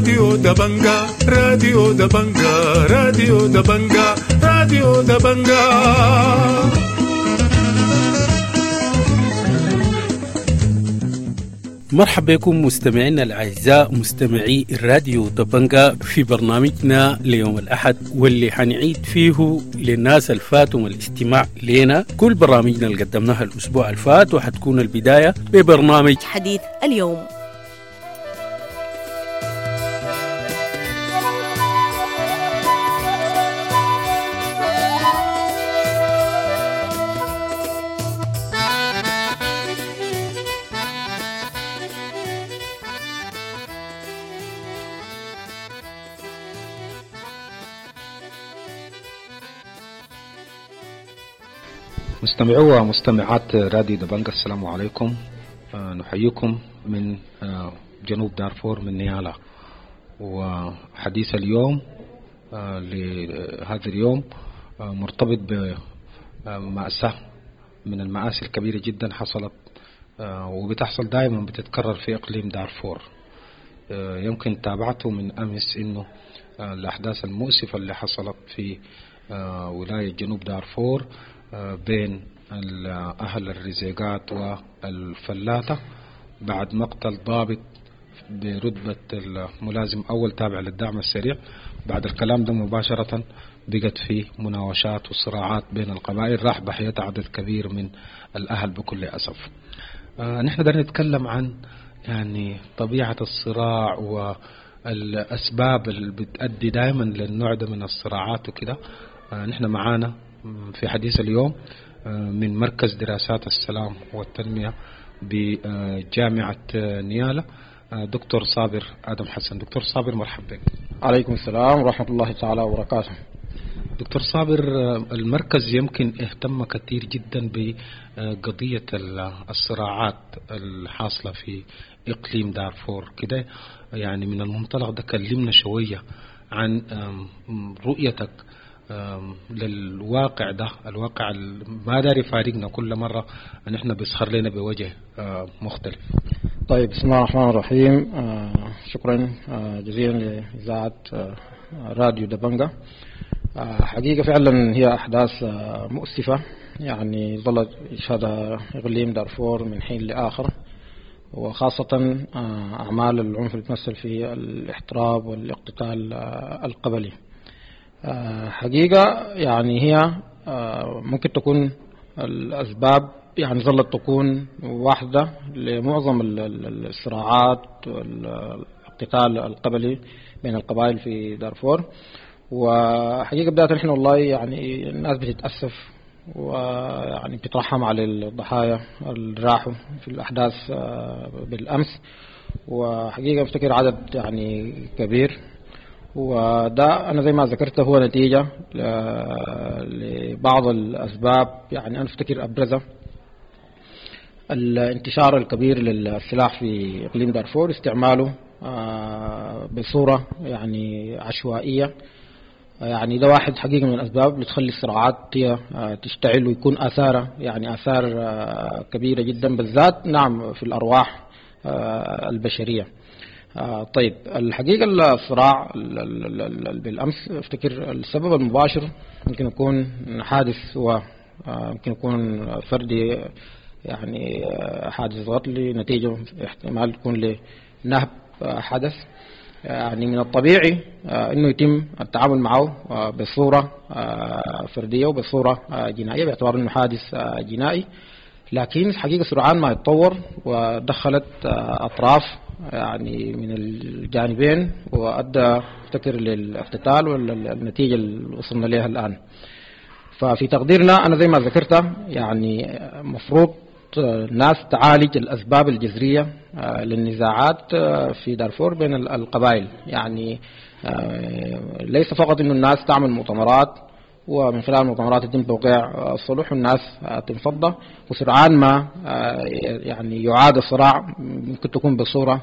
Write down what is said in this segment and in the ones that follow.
راديو دبنجا، راديو دبنجا، راديو دبنجا، راديو دبنجا. مرحبا بكم مستمعينا الأعزاء مستمعي الراديو دبنجا في برنامجنا ليوم الأحد، واللي حنعيد فيه للناس الفاتهم الاستماع لنا كل برامجنا اللي قدمناها الأسبوع الفات، وحتكون البداية ببرنامج حديث اليوم. مستمعو ومستمعات راديو دبنجا، السلام عليكم. نحييكم من جنوب دارفور من نيالا. وحديث اليوم لهذا اليوم مرتبط بمأساة من المآسي الكبيرة جدا حصلت وبتحصل دائما، بتتكرر في إقليم دارفور. يمكن تابعته من أمس إنه الأحداث المؤسفة اللي حصلت في ولاية جنوب دارفور بين أهل الرزيقات والفلاتة بعد مقتل ضابط برتبة الملازم أول تابع للدعم السريع. بعد الكلام ده مباشرة بقت في مناوشات وصراعات بين القبائل، راح ضحيتها عدد كبير من الأهل بكل أسف. نحن بدنا نتكلم عن يعني طبيعة الصراع والأسباب اللي بتؤدي دائما للنوع ده من الصراعات وكده. نحن معانا في حديث اليوم من مركز دراسات السلام والتنمية بجامعة نيالا دكتور صابر آدم حسن. دكتور صابر مرحبا بك. عليكم السلام ورحمة الله تعالى وبركاته. دكتور صابر، المركز يمكن اهتم كثير جدا بقضية الصراعات الحاصلة في إقليم دارفور كده، يعني من المنطلق ده كلمنا شوية عن رؤيتك للواقع ده، الواقع ما داري فارقنا كل مرة نحن بيسخر لنا بوجه مختلف. طيب، بسم الله الرحمن الرحيم. شكرا جزيلا لإذاعة راديو دبنجا. حقيقة فعلا هي أحداث مؤسفة، يعني ظلت يشهدها إقليم دارفور من حين لآخر، وخاصة أعمال العنف اللي تمثل في الاحتراب والاقتتال القبلي. حقيقة يعني هي ممكن تكون الأسباب يعني ظلت تكون واحدة لمعظم الصراعات والاقتتال القبلي بين القبائل في دارفور. وحقيقة بداية نحن والله يعني الناس بتتأسف ويعني بتترحم على الضحايا اللي راحوا في الأحداث بالأمس، وحقيقة افتكر عدد يعني كبير، وده أنا زي ما ذكرت هو نتيجة لبعض الأسباب. يعني أنا أفتكر أبرزها الانتشار الكبير للسلاح في إقليم دارفور، استعماله بصورة يعني عشوائية. يعني ده واحد حقيقة من الأسباب اللي تخلي الصراعات هي تشتعل ويكون آثارها يعني آثار كبيرة جدا، بالذات نعم في الأرواح البشرية. طيب، الحقيقة الصراع بالأمس افتكر السبب المباشر يمكن يكون حادث، ويمكن يكون فردي، يعني حادث قتل نتيجة احتمال يكون لنهب حدث. يعني من الطبيعي انه يتم التعامل معه بصورة فردية وبصورة جنائية باعتبار انه حادث جنائي، لكن الحقيقة سرعان ما يتطور ودخلت أطراف يعني من الجانبين وأدى افتكر للاقتتال والنتيجة اللي وصلنا لها الآن. ففي تقديرنا أنا زي ما ذكرت يعني مفروض الناس تعالج الأسباب الجذرية للنزاعات في دارفور بين القبائل. يعني ليس فقط إنه الناس تعمل مؤتمرات ومن خلال المؤتمرات يتم توقيع الصلح والناس تنفض، وسرعان ما يعني يعاد الصراع، ممكن تكون بصورة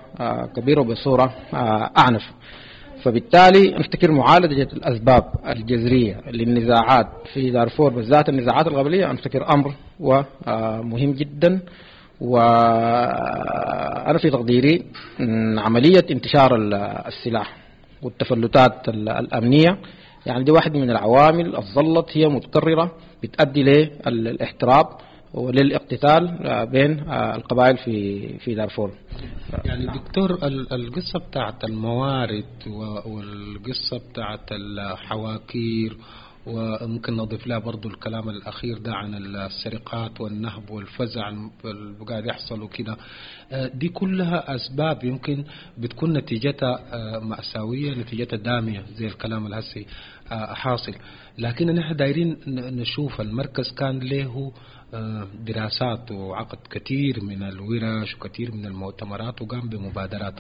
كبيرة وبصورة أعنف. فبالتالي نفتكر معالجة الأسباب الجذرية للنزاعات في دارفور بالذات النزاعات القبلية نفتكر أمر ومهم جدا، وأنا في تقديري عملية انتشار السلاح والتفلتات الأمنية يعني دي واحد من العوامل الظلت هي متكررة بتؤدي للاحتراب وللاقتتال بين القبائل في دارفور. يعني دكتور، القصة بتاعت الموارد والقصة بتاعت الحواكير، وممكن نضيف لها برضو الكلام الأخير ده عن السرقات والنهب والفزع اللي قاعد يحصل وكده، دي كلها أسباب يمكن بتكون نتيجتها مأساوية، نتيجتها دامية زي الكلام الهسي حاصل. لكن نحن دايرين نشوف المركز كان له دراسات وعقد كثير من الورش وكثير من المؤتمرات وقام بمبادرات،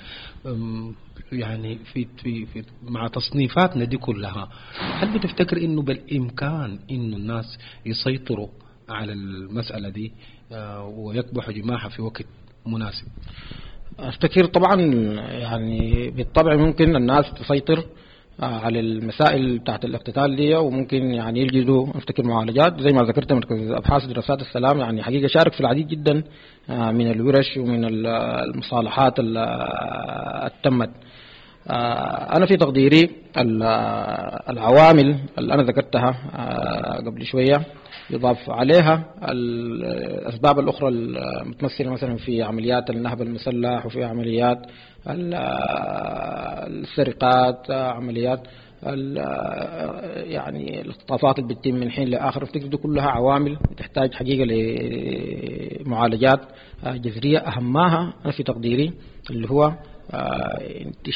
يعني في في في مع تصنيفاتنا دي كلها، هل بتفتكر انه بالامكان انه الناس يسيطروا على المسألة دي ويكبحوا جماحها في وقت مناسب؟ افتكر طبعا يعني بالطبع ممكن الناس تسيطر على المسائل بتاعت الاقتتال دي، وممكن يعني يجدوا افتكر معالجات زي ما ذكرت. مركز ابحاث دراسات السلام يعني حقيقة شارك في العديد جدا من الورش ومن المصالحات اللي تمت. انا في تقديري العوامل اللي انا ذكرتها قبل شوية يضاف عليها الاسباب الاخرى المتمثلة مثلا في عمليات النهب المسلح وفي عمليات السرقات، عمليات يعني الاختطافات اللي بتتم من حين لاخر. افتكر دي كلها عوامل تحتاج حقيقة لمعالجات جذرية، اهمها انا في تقديري اللي هو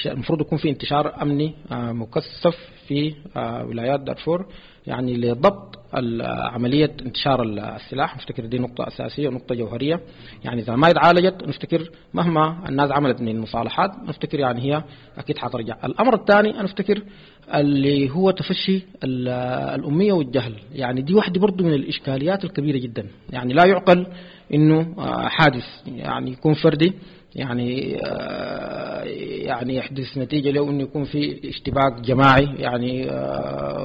المفروض يكون في انتشار امني مكثف في ولايات دارفور يعني لضبط عملية انتشار السلاح. نفتكر دي نقطة أساسية ونقطة جوهرية، يعني إذا ما اتعالجت نفتكر مهما الناس عملت من المصالحات نفتكر يعني هي أكيد حترجع. الأمر الثاني أنا أفتكر اللي هو تفشي الأمية والجهل، يعني دي واحدة برضو من الإشكاليات الكبيرة جدا. يعني لا يعقل إنه حادث يعني يكون فردي يعني يحدث نتيجة له إنه يكون في اشتباك جماعي يعني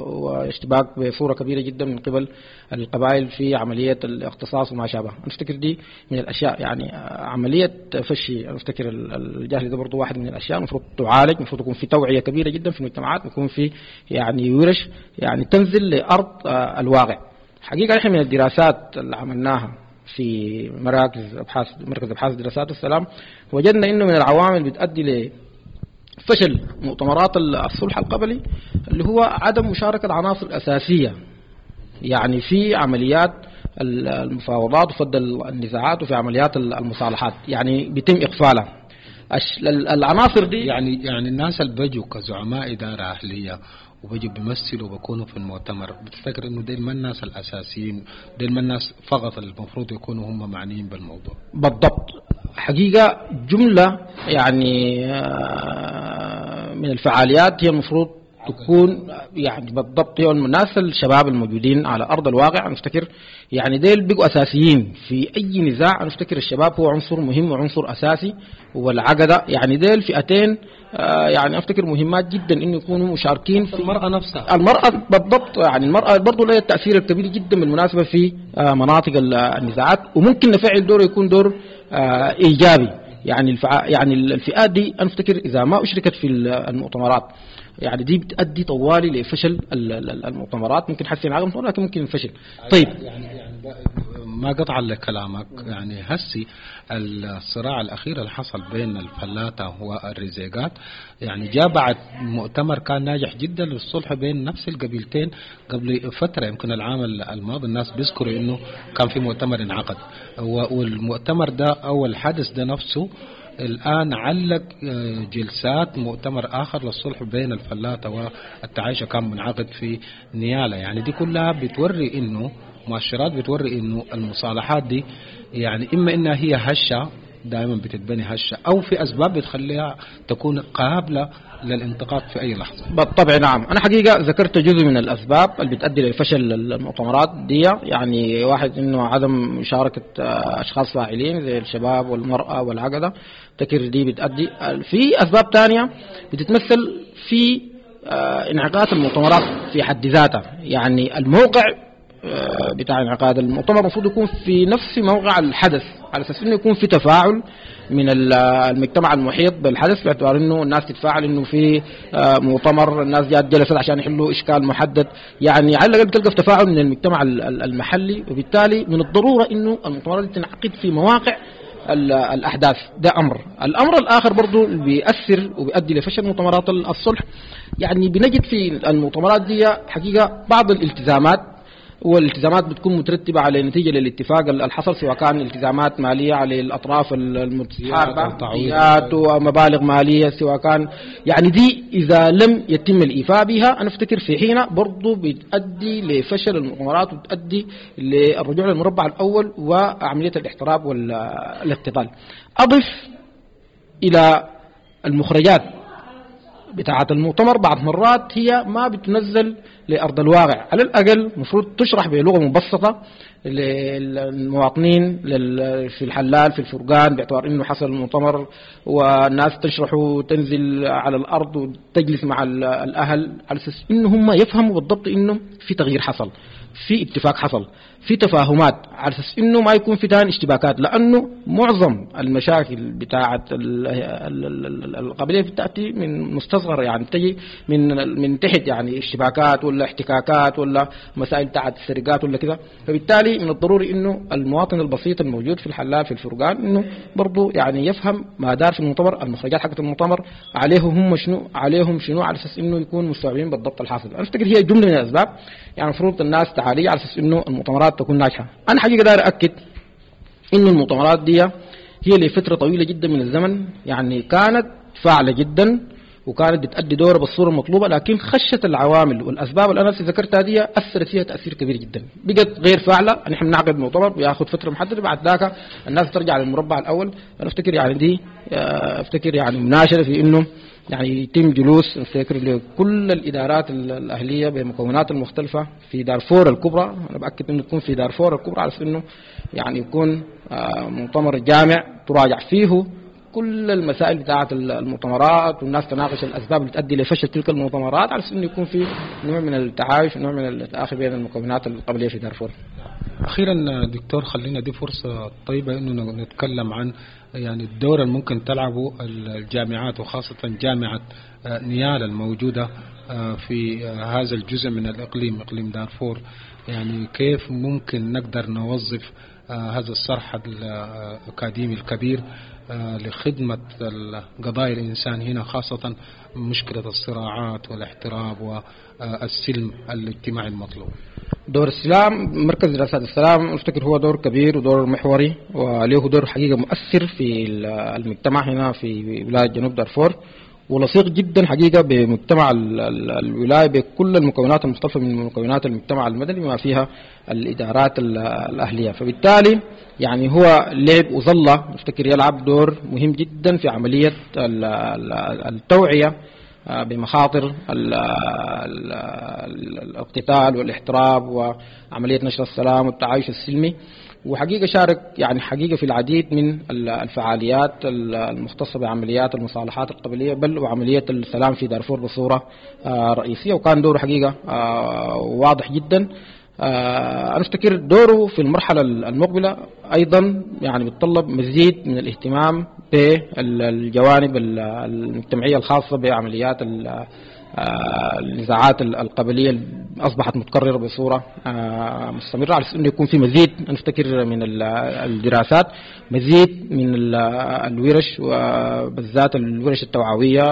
واشتباك بصورة كبيرة جدا من قبل القبائل في عملية الاقتصاص وما شابه. أفتكر دي من الأشياء يعني عملية تفشي أفتكر الجهل ده برضو واحد من الأشياء المفروض تعالج، المفروض يكون في توعية كبيرة جدا في المجتمعات، يكون في يعني ورش يعني تنزل لأرض الواقع. حقيقة نحن من الدراسات اللي عملناها في مراكز ابحاث مركز ابحاث دراسات السلام وجدنا انه من العوامل بتؤدي لفشل مؤتمرات الصلح القبلي اللي هو عدم مشاركة العناصر الاساسية يعني في عمليات المفاوضات وفض النزاعات وفي عمليات المصالحات، يعني بيتم اغفالها العناصر دي. يعني الناس اللي بيجوا كزعماء ادارة اهليه وبيجوا بيمثلوا وبيكونوا في المؤتمر، بتفتكر انه ديل ما الناس الاساسيين، ديل ما الناس فقط المفروض يكونوا هم معنيين بالموضوع؟ بالضبط، حقيقة جملة يعني من الفعاليات هي المفروض تكون يعني بالضبط هي الناس الشباب الموجودين على ارض الواقع. نفتكر يعني ديل بيبقوا اساسيين في اي نزاع. نفتكر الشباب هو عنصر مهم وعنصر اساسي، والعقده يعني ديل فئتين يعني افتكر مهمات جدا انه يكونوا مشاركين في المراة نفسها. المراة بالضبط، يعني المراة برضه لها التاثير الكبير جدا بالمناسبة في مناطق النزاعات، وممكن نفعل دور يكون دور ايجابي. يعني يعني الفئات دي انا افتكر اذا ما اشركت في المؤتمرات يعني دي بتؤدي طوالي لفشل المؤتمرات، ممكن حسن عقم لكن ممكن فشل. طيب يعني ما قطع لكلامك، يعني هسي الصراع الأخير اللي حصل بين الفلاتة والرزيقات يعني جاء بعد مؤتمر كان ناجح جدا للصلح بين نفس القبيلتين قبل فترة، يمكن العام الماضي الناس بيذكروا إنه كان في مؤتمر انعقد، والمؤتمر ده أو الحدث ده نفسه الآن علق جلسات مؤتمر آخر للصلح بين الفلاتة والتعايشة كان منعقد في نيالا. يعني دي كلها بتوري إنه مؤشرات بتوري إنه المصالحات دي يعني إما إنها هي هشة دائما بتتبني هشة، أو في أسباب بتخليها تكون قابلة للانتقاد في أي لحظة. بالطبع نعم، أنا حقيقة ذكرت جزء من الأسباب اللي بتؤدي لفشل المؤتمرات دي، يعني واحد إنه عدم مشاركة أشخاص فاعلين زي الشباب والمرأة والعقدة، تكر دي بتؤدي. في أسباب تانية بتتمثل في انعقاد المؤتمرات في حد ذاتها، يعني الموقع بتاع انعقاد المؤتمر المفروض يكون في نفس موقع الحدث. على اساس انه يكون في تفاعل من المجتمع المحيط بالحدث، باعتبار انه الناس تتفاعل انه في مؤتمر، الناس جات جلست عشان يحلوا اشكال محدد، يعني على الاقل بتلقى في تفاعل من المجتمع المحلي. وبالتالي من الضرورة انه المؤتمرات تنعقد في مواقع الاحداث. ده امر. الامر الاخر برضو اللي بيأثر وبيؤدي لفشل مؤتمرات الصلح، يعني بنجد في المؤتمرات دي حقيقة بعض الالتزامات، والالتزامات بتكون مترتبة على نتيجة للاتفاق اللي حصل، سواء كان التزامات ماليه على الاطراف المتحاربه ومبالغ ماليه، سواء كان يعني دي اذا لم يتم الايفاء بها انا افتكر في حين برضه بتؤدي لفشل المؤتمرات وبتؤدي للرجوع للمربع الاول وعملية الاحتراب والاقتتال. اضف الى المخرجات بتاعة المؤتمر بعض مرات هي ما بتنزل لأرض الواقع، على الأقل المفروض تشرح بلغة مبسطة للمواطنين في الحلال في الفرقان، باعتبار انه حصل المؤتمر والناس تشرح وتنزل على الأرض وتجلس مع الأهل على أساس انه هم يفهموا بالضبط انه في تغيير حصل، في اتفاق حصل، في تفاهمات، على اساس انه ما يكون في تاني اشتباكات، لانه معظم المشاكل بتاعه القبلية بتاتي من مستصغر، يعني تجي من تحت، يعني اشتباكات ولا احتكاكات ولا مسائل بتاعه السرقات ولا كذا. فبالتالي من الضروري انه المواطن البسيط الموجود في الحلال في الفرقان انه برضه يعني يفهم ما دار في المؤتمر، المخرجات حقت المؤتمر عليهم هم شنو، عليهم شنو، على اساس انه يكون مستوعبين بالضبط الحاصل. انا افتكر هي جملة من الاسباب يعني المفروض الناس تعالي على اساس انه المؤتمرات تكون ناجحة. انا حقيقة داير اكد انه المؤتمرات دي هي لفترة طويلة جدا من الزمن يعني كانت فاعله جدا وكانت بتأدي دورها بالصورة المطلوبة، لكن خشت العوامل والاسباب اللي انا ذكرتها دي اثرت فيها تاثير كبير جدا، بقت غير فاعله. نحن بنعقد مؤتمر بياخذ فترة محددة، بعد ذاك الناس ترجع للمربع الاول. انا افتكر يعني دي افتكر يعني مناشده في انه يعني يتم جلوس افتكر لكل الادارات الاهلية بمكونات المختلفة في دارفور الكبرى، انا باكد انه يكون في دارفور الكبرى على انه يعني يكون مؤتمر جامع تراجع فيه كل المسائل بتاعه المؤتمرات، والناس تناقش الاسباب اللي تؤدي لفشل تلك المؤتمرات، على انه يكون في نوع من التعايش ونوع من التآخي بين المكونات القبلية في دارفور. اخيرا دكتور، خلينا دي فرصة طيبة انه نتكلم عن يعني الدور اللي ممكن تلعبه الجامعات، وخاصة جامعه نيالا الموجودة في هذا الجزء من الاقليم، اقليم دارفور. يعني كيف ممكن نقدر نوظف هذا الصرح الأكاديمي الكبير لخدمة قضايا الإنسان هنا، خاصة مشكلة الصراعات والاحتراب والسلم الاجتماعي المطلوب؟ دور السلام، مركز دراسات السلام افتكر هو دور كبير ودور محوري، وله دور حقيقة مؤثر في المجتمع هنا في ولاية جنوب دارفور، ولصيق جدا حقيقة بمجتمع الولاية بكل المكونات المختلفة من مكونات المجتمع المدني بما فيها الإدارات الأهلية. فبالتالي يعني هو لعب وظل افتكر يلعب دور مهم جدا في عملية التوعية بمخاطر الاقتتال والاحتراب وعملية نشر السلام والتعايش السلمي. وحقيقة شارك يعني حقيقة في العديد من الفعاليات المختصة بعمليات المصالحات القبلية بل وعملية السلام في دارفور بصورة رئيسية، وكان دوره حقيقة واضح جدا. أنا أفتكر دوره في المرحلة المقبلة أيضا يعني بيتطلب مزيد من الاهتمام بالجوانب المجتمعية الخاصة بعمليات النزاعات القبلية اللي أصبحت متكررة بصورة مستمرة، على أنه يكون في مزيد نفتكر من الدراسات، مزيد من الورش وبالذات الورش التوعوية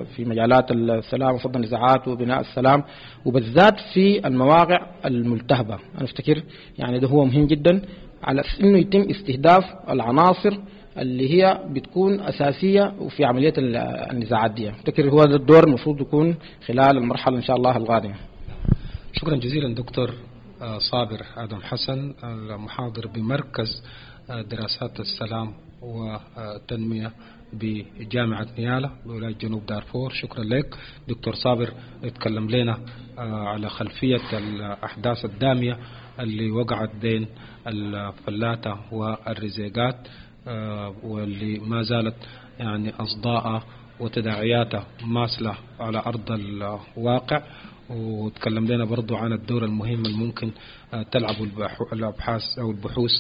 في مجالات السلام وفض النزاعات وبناء السلام، وبالذات في المواقع الملتهبة. أنا أفتكر يعني ده هو مهم جدا على أنه يتم استهداف العناصر اللي هي بتكون أساسية وفي عملية النزاعات دي. أفتكر هو ده الدور المفروض يكون خلال المرحلة إن شاء الله القادمة. شكرا جزيلا دكتور صابر آدم حسن، المحاضر بمركز دراسات السلام والتنمية بجامعة نيالا بولاية جنوب دارفور. شكرا لك دكتور صابر، اتكلم لنا على خلفية الأحداث الدامية اللي وقعت بين الفلاتة والرزيقات، واللي ما زالت يعني أصداء وتداعياتها ماثلة على أرض الواقع. وتكلم لنا برضو عن الدور المهم الممكن تلعبه الأبحاث أو البحوث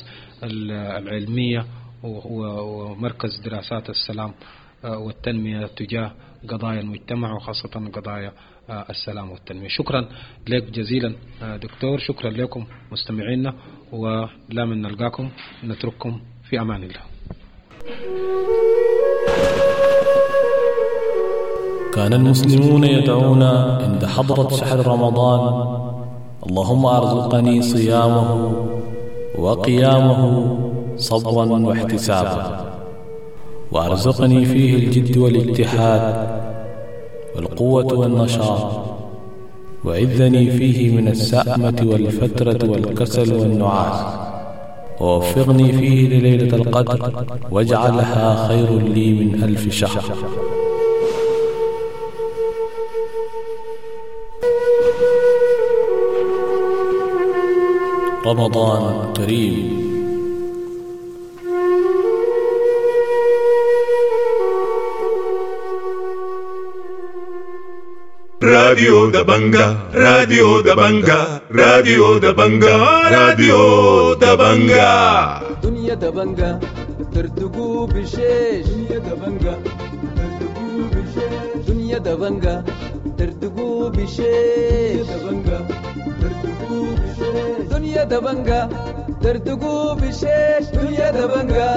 العلمية ومركز دراسات السلام والتنمية تجاه قضايا المجتمع وخاصة قضايا السلام والتنمية. شكرا لك جزيلا دكتور، شكرا لكم مستمعينا، ولا من نلقاكم نترككم في أمان الله. كان المسلمون يدعون عند حضرة شهر رمضان: اللهم أرزقني صيامه وقيامه صبرا واحتسابا، وأرزقني فيه الجد والاجتهاد والقوة والنشاط، وعذني فيه من السأمة والفترة والكسل والنعاس، ووفقني فيه لليلة القدر واجعلها خير لي من 1000 شهر. رمضان كريم. راديو دبنجا، راديو دبنجا، راديو دبنجا، راديو دبنجا. دنيا دبنجا ترتقو بشيش، دنيا دبنجا ترتقو بشيش، دنيا دبنجا ترتقو بشيش، دبنجا ترتقو بشيش، دنيا دبنجا ترتقو بشيش، دنيا دبنجا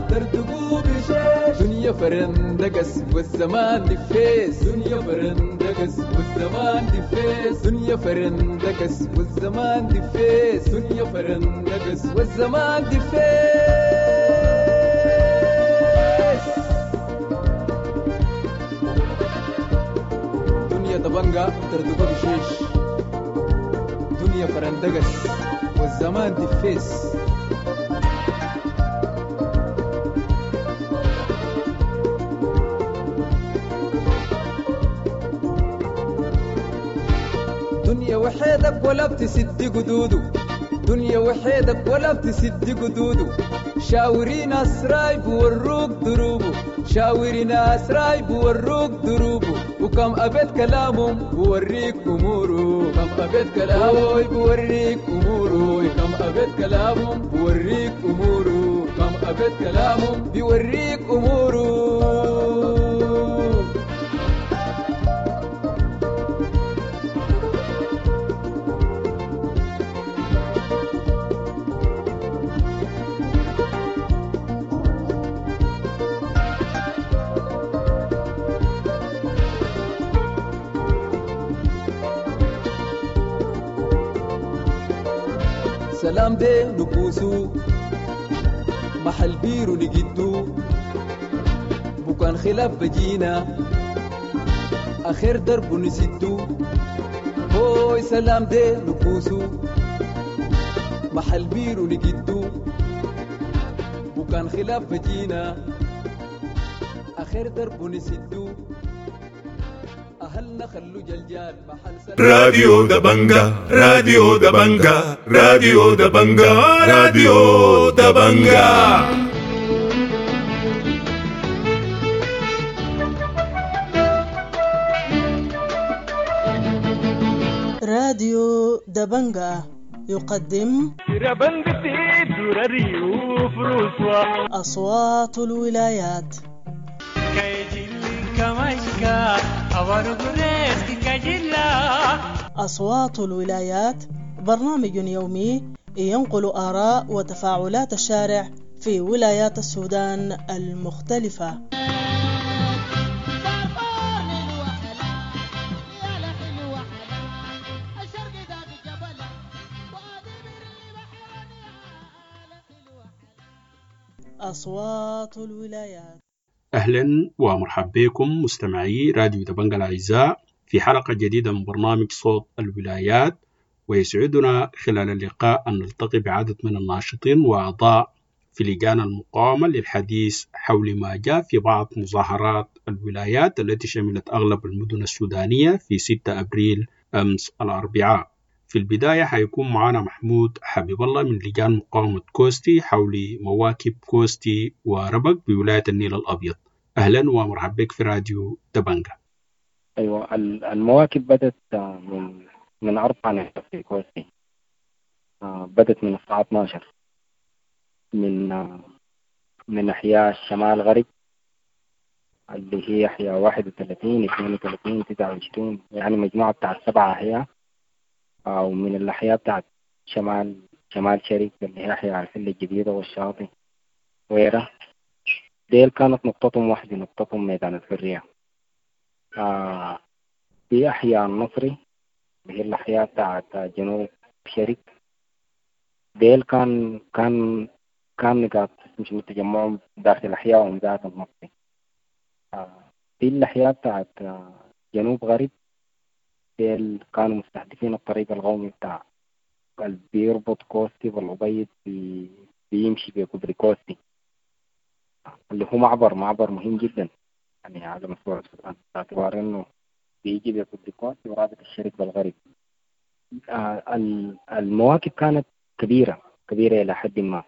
ترتقو بشيش، دنيا فرندقس والزمان دفيس، دنيا فرندقس والزمان دفيس، دنيا فرندقس والزمان دفيس، دنيا فرندقس والزمان دفيس. دنيا دبنجا ترتقو بشيش، دنيا فرندقس والزمان دفيس. دنيا وحيدك ولا بتسد قدوده، دنيا وحيدك ولا بتسد قدوده، شاوري ناس رايب وروك دروبه، شاوري ناس رايب وروك دروبه، وكم أبيت كلامهم بوريك أموره، كم أبيت كلامه بوريك أموره، كم أبيت كلامهم بوريك أموره، كم أبيت كلامهم بيوريك أموره. سلام دي نبوسو محل بيرو نجدو، بكان خلاف بجينا آخر درب نسدو، هوي سلام دي نبوسو محل بيرو نجدو، بكان خلاف بجينا آخر درب نسدو، أهلنا خلو جلجال محل سلام. راديو دبنجا، راديو دبنجا، راديو دبنجا، راديو دبنجا. راديو دبنجا يقدم أصوات الولايات. أصوات الولايات برنامج يومي ينقل آراء وتفاعلات الشارع في ولايات السودان المختلفة. أصوات الولايات. أهلا ومرحبا بكم مستمعي راديو دبنجا الأعزاء في حلقة جديدة من برنامج صوت الولايات، ويسعدنا خلال اللقاء أن نلتقي بعدد من الناشطين وأعضاء في لجان المقاومة للحديث حول ما جاء في بعض مظاهرات الولايات التي شملت أغلب المدن السودانية في 6 أبريل أمس الأربعاء. في البداية حيكون معنا محمود حبيب الله من لجان مقاومة كوستي حول مواكب كوستي وربك بولاية النيل الأبيض. أهلا ومرحبا بك في راديو دبنجا. أيوة، المواكب بدت من 4 نقاط في كوستي. بدت من الساعة 12 من أحياء الشمال غرب اللي هي أحياء 31 32 29، يعني مجموعة بتاعت 7 أحياء، ومن الأحياء بتاعت شمال شرق اللي هي أحياء الحلة الجديدة والشاطئ وغيرها. ديل كانت نقطتهم واحدة، نقطتهم ميدان الحرية. في أحياء النصري اللي هي الأحياء بتاعت جنوب شرق، ديل كان كان كان نقاط مش تجمعهم داخل أحيائهم ذات النصري. في الأحياء بتاعت جنوب غرب ديل كانوا مستهدفين الطريق القومي بتاع اللي بيربط كوستي بالأبيض، بيمشي بكوبري كوستي اللي هو معبر مهم جدا يعني على مستوى السودان، باعتبار انه بيجي بكوبري كوستي ورابط الشرق بالغرب. المواكب كانت كبيرة إلى حد ما،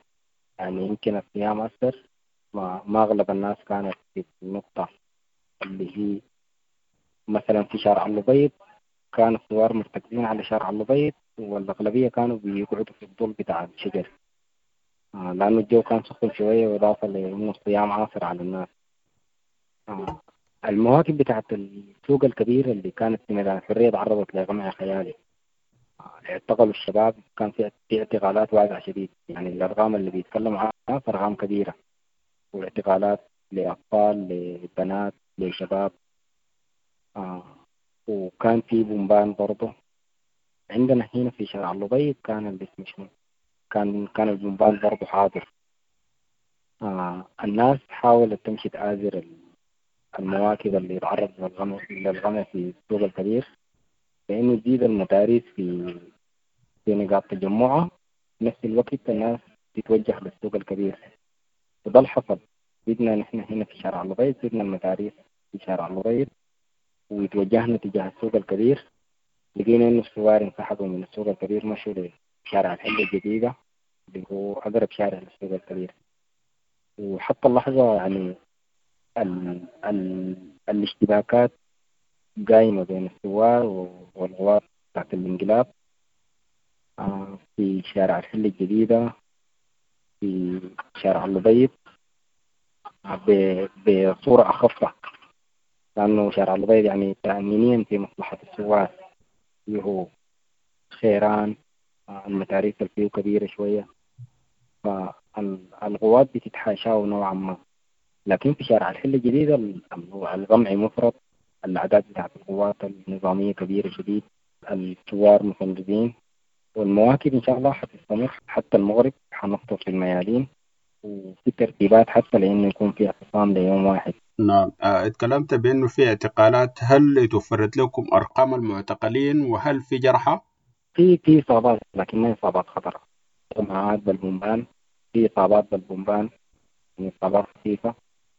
يعني يمكن الصيام أثر، ما أغلب الناس كانت في النقطة اللي هي مثلا في شارع الأبيض، كان الثوار مرتكزين على شارع الأبيض، والأغلبية كانوا بيقعدوا في الظل بتاع الشجر، لأنه الجو كان سخن شوية، وإضافة لأنه الصيام عاصر على الناس. المواكب بتاعت السوق الكبير اللي كانت في ميدان الحرية تعرضت لقمع خيالي، اعتقلوا الشباب، كان في اعتقالات واسعة شديد، يعني الأرقام اللي بيتكلموا عنها أرقام كبيرة، واعتقالات لأطفال لبنات لشباب. وكان في بومبان برضه عندنا هنا في شارع الأبيض، كان الاسم شنو، كان البومبان برضه حاضر. الناس حاولت تمشي تآزر المواكب اللي تعرض للغمع في السوق الكبير، لأنه تزيد المتاريس في نقاط تجمعها، نفس الوقت الناس تتوجه للسوق الكبير، وده اللي حصل. زدنا نحن هنا في شارع الأبيض، زدنا المتاريس في شارع الأبيض وتوجهنا تجاه السوق الكبير، لقينا إنه الثوار انسحبوا من السوق الكبير، مشوا لشارع الحلة الجديدة اللي هو أقرب شارع للسوق الكبير. وحتى اللحظة يعني الاشتباكات قايمة بين الثوار والغوار بتاعت الانقلاب في شارع الحلة الجديدة، في شارع الأبيض بصورة أخف، لأنه شارع الأبيض يعني تأمينيا في مصلحة الثوار، فيه خيران، المتاريس اللي فيه كبيرة شوية، فالغوات بتتحاشاه نوعا ما. لكن في شارع الحلة الجديدة الغمع مفرط، الأعداد بتاعت القوات النظامية كبيرة شديد، الثوار مفندقين، والمواكب إن شاء الله حتستمر حتى المغرب، حنفطر في الميادين، وفي ترتيبات حتى لأنه يكون في اعتصام ليوم واحد. نعم، اتكلمت بأنه في اعتقالات، هل توفرت لكم أرقام المعتقلين وهل في جرحى؟ في إصابات، لكن ما إصابات خطرة، إصابات بالبومبان، في إصابات بالبومبان، يعني إصابات خفيفة،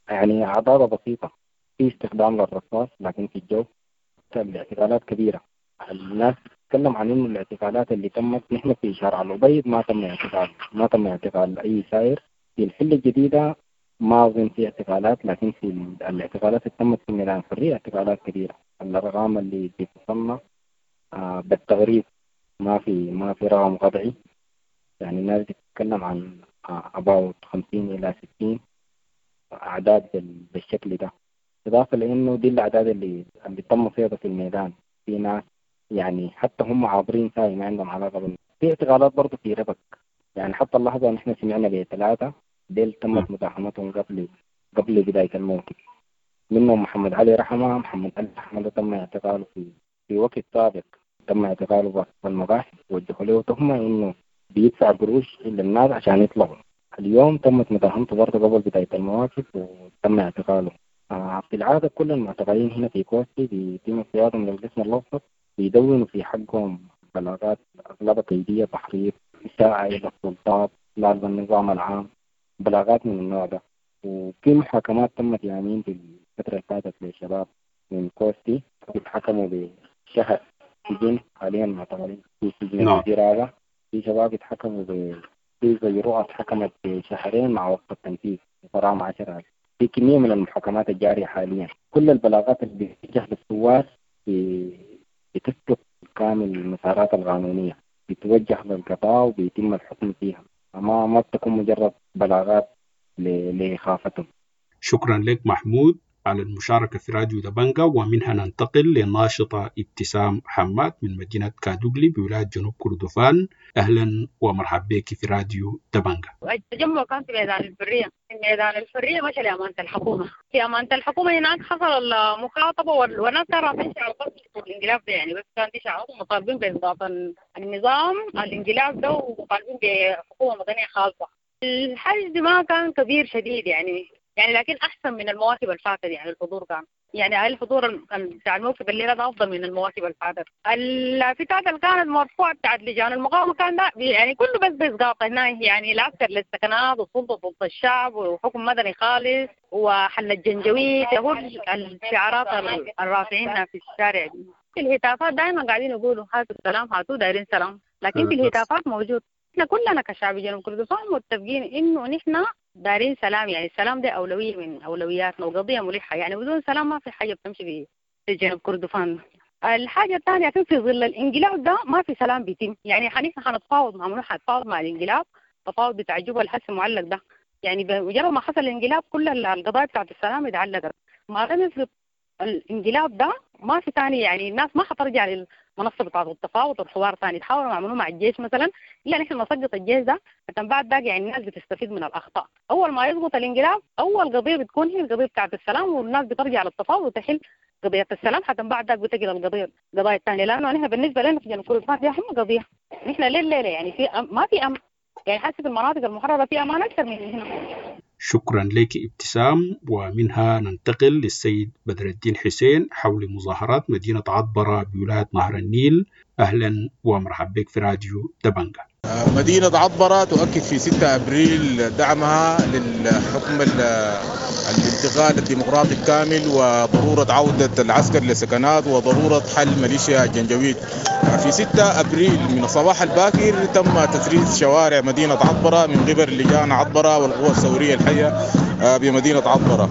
يعني عضاضة بسيطة، في استخدام للرصاص لكن في الجو. الاعتقالات كبيرة، الناس تتكلم عن إنه الاعتقالات اللي تمت نحن في شارع الأبيض ما تم اعتقال أي سائر. في الحلة الجديدة ما أظن في اعتقالات، لكن في الاعتقالات اللي تمت في ميدان الحرية اعتقالات كبيرة، الأرقام اللي بتصنع بالتغريب، ما في رقم قطعي، يعني الناس بتتكلم عن about 50 إلى 60 أعداد بالشكل ده، إضافة لأنه دي الأعداد اللي تم صيدها في الميدان. في ناس يعني حتى هم عابرين ساي ما عندهم علاقة في اعتقالات برضه في ربك، يعني حتى اللحظة نحن سمعنا ب3 ديل تمت مداهمتهم قبل بداية الموكب، منهم محمد علي رحمة. محمد علي رحمة تم اعتقاله في وقت سابق، تم اعتقاله بواسطة المباحث، وجهوا له تهمة إنه بيدفع قروش للناس عشان يطلعوا. اليوم تمت مداهمته برضه قبل بداية المواقف وتم اعتقاله. في العادة كل المعتقلين هنا في كوستي بيتم اصطيادهم من القسم الأوسط، بيدونوا في حقهم بلاغات أغلبها كيدية، تحريض، إساءة إلى السلطات، لا النظام العام، بلاغات من النوع ده. وفي محاكمات تمت يامين في الفترة اللي فاتت للشباب من كوستي، اتحكموا بشهر سجن، حاليا معتقلين في سجن الجزيرة. في شباب اتحكموا في زي رؤى اتحكمت بشهرين مع وقف التنفيذ وغرامة 10,000. في كمية من المحاكمات الجارية حاليا. كل البلاغات اللي بتتجه للثوار بتسلك كامل المسارات القانونية، بتوجه للقضاء وبيتم الحكم فيها، ما بتكون مجرد بلاغات لإخافتهم. شكرا لك محمود على المشاركة في راديو دبنجا. ومنها ننتقل للناشطة ابتسام حماد من مدينة كادوغلي بولاية جنوب كردفان. أهلا ومرحبا بك في راديو دبنجا. التجمع كان في ميدان الحرية، ميدان الحرية مشى لأمانة الحكومة، في أمانة الحكومة هناك حصل المخاطبة والناس كانوا رافعين شعارات الانقلاب ده، يعني بس كان في شعارات مطالبين بإسقاط النظام الانقلاب ده ومطالبين بحكومة مدنية خاصة. الحشد ما كان كبير شديد يعني لكن أحسن من المواكب اللي فاتت، يعني الحضور كان يعني الحضور بتاع الموكب الليلة ده أفضل من المواكب اللي فاتت. اللافتات اللي كانت مرفوعة بتاعت لجان المقاومة كان ده يعني كله بس بإسقاط هنا، يعني العسكر للسكنات والسلطة ضد الشعب وحكم مدني خالص وحل الجنجويد، هو الشعارات الرافعينها في الشارع دي. في الهتافات دائما قاعدين يقولوا هاتوا السلام هاتوا دايرين سلام، لكن في الهتافات موجود. احنا كلنا كشعب جنوب كردفان متفقين انه نحن دارين سلام، يعني السلام ده أولوية من أولوياتنا وقضية ملحة، يعني بدون سلام ما في حاجة بتمشي في جنوب كردفان. الحاجة الثانية في ظل الانقلاب ده ما في سلام بيتم، يعني نحن حنتفاوض مع منو؟ حنتفاوض مع الانقلاب، تفاوض بتاع جوبا الحس المعلق ده، يعني بمجرد ما حصل الانقلاب كل القضايا بتاعت السلام اتعلقت. ما لم يسقط الانقلاب ده ما في ثاني، يعني الناس ما حترجع للمنصه بتاعت التفاوض والحوار ثاني، تحاولوا يعملوه مع الجيش مثلا، الا نحن نسقط الجيش ده عشان بعد ذاك يعني الناس بتستفيد من الاخطاء. اول ما يسقط الانقلاب اول قضيه بتكون هي القضيه بتاعت السلام، والناس بترجع للتفاوض وتحل قضيه السلام، حتى بعد ذاك بتجي للقضيه القضايا الثانيه، لانه نحن بالنسبه لنا في جنوب كردفان دي اهم قضيه، نحن ليله يعني في ما في امن، يعني حاسه في المناطق المحرره في امان اكثر من هنا. شكرا لك ابتسام. ومنها ننتقل للسيد بدر الدين حسين حول مظاهرات مدينة عطبرة بولاية نهر النيل. أهلا ومرحبا بك في راديو دبنجا. مدينة عطبرة تؤكد في 6 أبريل دعمها للحكم الانتقال الديمقراطي الكامل وضرورة عودة العسكر للسكنات وضرورة حل ميليشيا الجنجويد. في 6 أبريل من الصباح الباكر تم تثريث شوارع مدينة عطبرة من قبل لجان عطبرة والقوى الثورية الحية بمدينة عطبرة.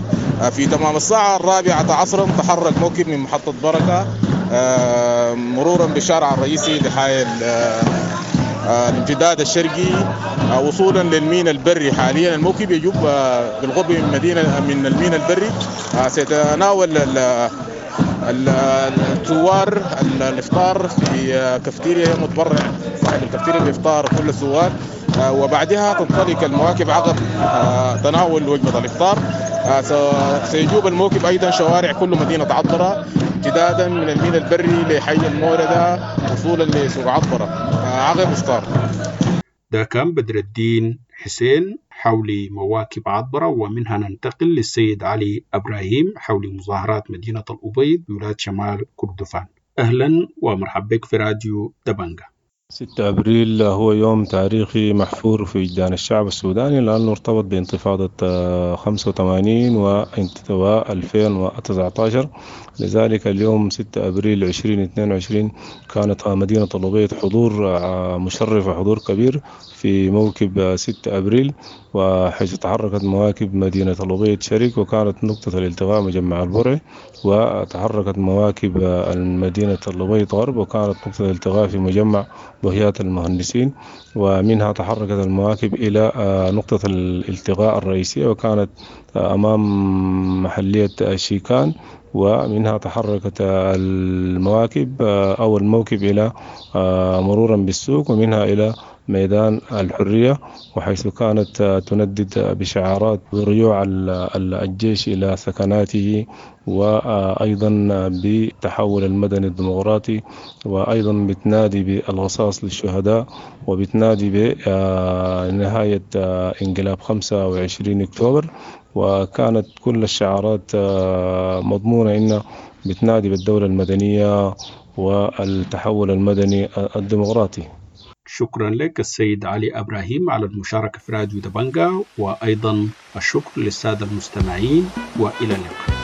في تمام الساعة 4 عصرا تحرك موكب من محطة بركة مرورا بالشارع الرئيسي لحي الامتداد الشرقي وصولا للميناء البري. حاليا الموكب يجوب بالقرب من مدينة من الميناء البري. سيتناول الثوار الافطار في كافتيريا متبرع صاحب الكافتيريا بافطار كل الثوار، وبعدها تنطلق المواكب عقب تناول وجبة الافطار. سيجوب الموكب ايضا شوارع كل مدينة عطبرة امتدادا من الميناء البري لحي الموردة وصولا لسوق عطبرة عقب افطار. ده كان بدر الدين حسين حول مواكب عطبرة. ومنها ننتقل للسيد علي إبراهيم حول مظاهرات مدينة الأبيض بولاية شمال كردفان. أهلا ومرحبا بك في راديو دبنجا. 6 أبريل هو يوم تاريخي محفور في وجدان الشعب السوداني لأنه ارتبط بانتفاضة 85 و 2019. لذلك اليوم 6 أبريل 2022 كانت مدينة الأبيض حضور مشرف وحضور كبير في موكب 6 أبريل، وحيث تحركت مواكب مدينة الأبيض شريك وكانت نقطة الالتقاء مجمع البرع، وتحركت مواكب المدينة الأبيض غرب وكانت نقطة الالتقاء في مجمع بهيات المهندسين، ومنها تحركت المواكب إلى نقطة الالتقاء الرئيسية وكانت أمام محلية شيكان، ومنها تحركت المواكب أو الموكب إلى مرورا بالسوق ومنها إلى ميدان الحرية، وحيث كانت تندد بشعارات برجوع الجيش إلى سكناته وأيضا بالتحول المدني الديمقراطي، وأيضا بتنادي بالقصاص للشهداء وبتنادي بنهاية انقلاب 25 أكتوبر. وكانت كل الشعارات مضمونة إن بتنادي بالدولة المدنية والتحول المدني الديمقراطي. شكرا لك السيد علي إبراهيم على المشاركة في راديو دبنجا، وأيضا الشكر للسادة المستمعين، وإلى اللقاء.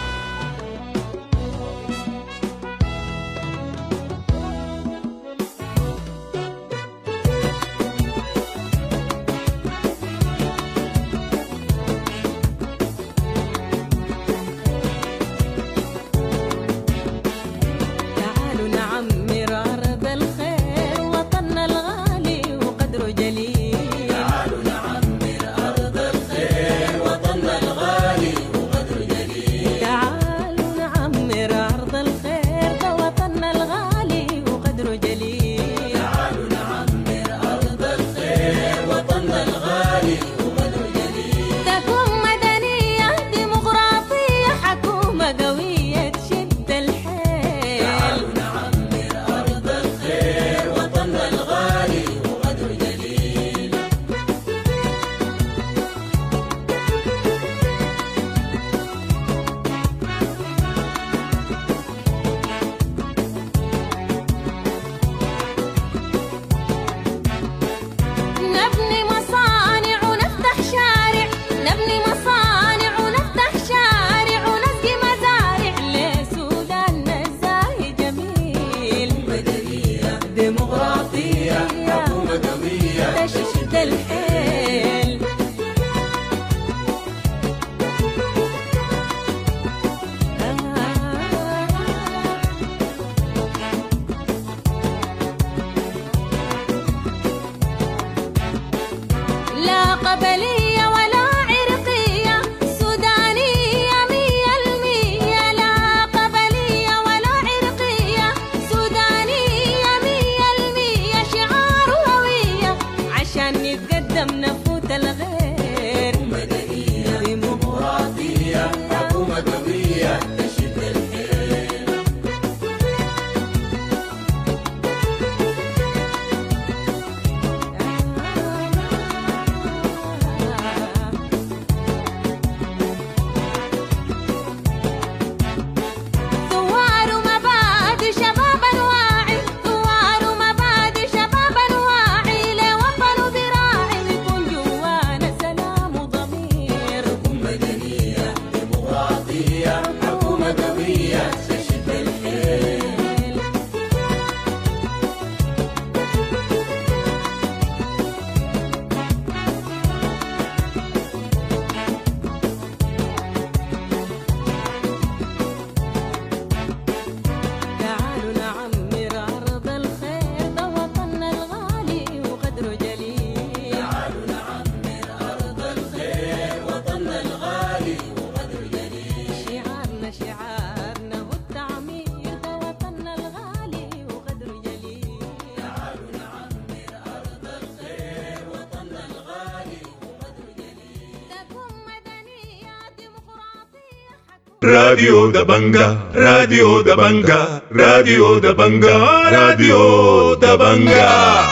راديو دبنجا، راديو دبنجا، راديو دبنجا، راديو دبنجا.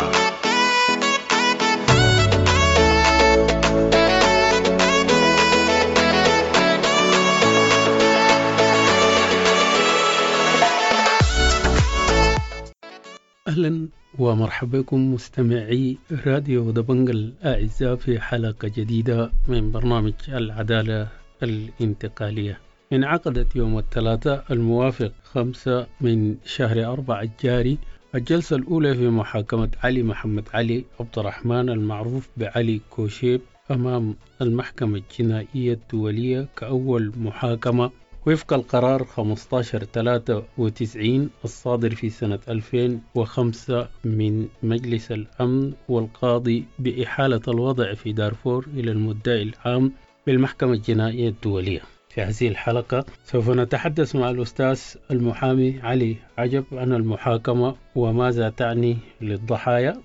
أهلا ومرحبا بكم مستمعي راديو دبنجا الأعزاء في حلقة جديدة من برنامج العدالة الانتقالية. انعقدت يوم الثلاثاء الموافق 5 من شهر 4 الجاري الجلسة الأولى في محاكمة علي محمد علي عبد الرحمن المعروف بعلي كوشيب أمام المحكمة الجنائية الدولية كأول محاكمة وفق القرار 1593 الصادر في سنة 2005 من مجلس الأمن والقاضي بإحالة الوضع في دارفور إلى المدعي العام بالمحكمة الجنائية الدولية. في هذه الحلقة سوف نتحدث مع الأستاذ المحامي علي عجب عن المحاكمة وماذا تعني للضحايا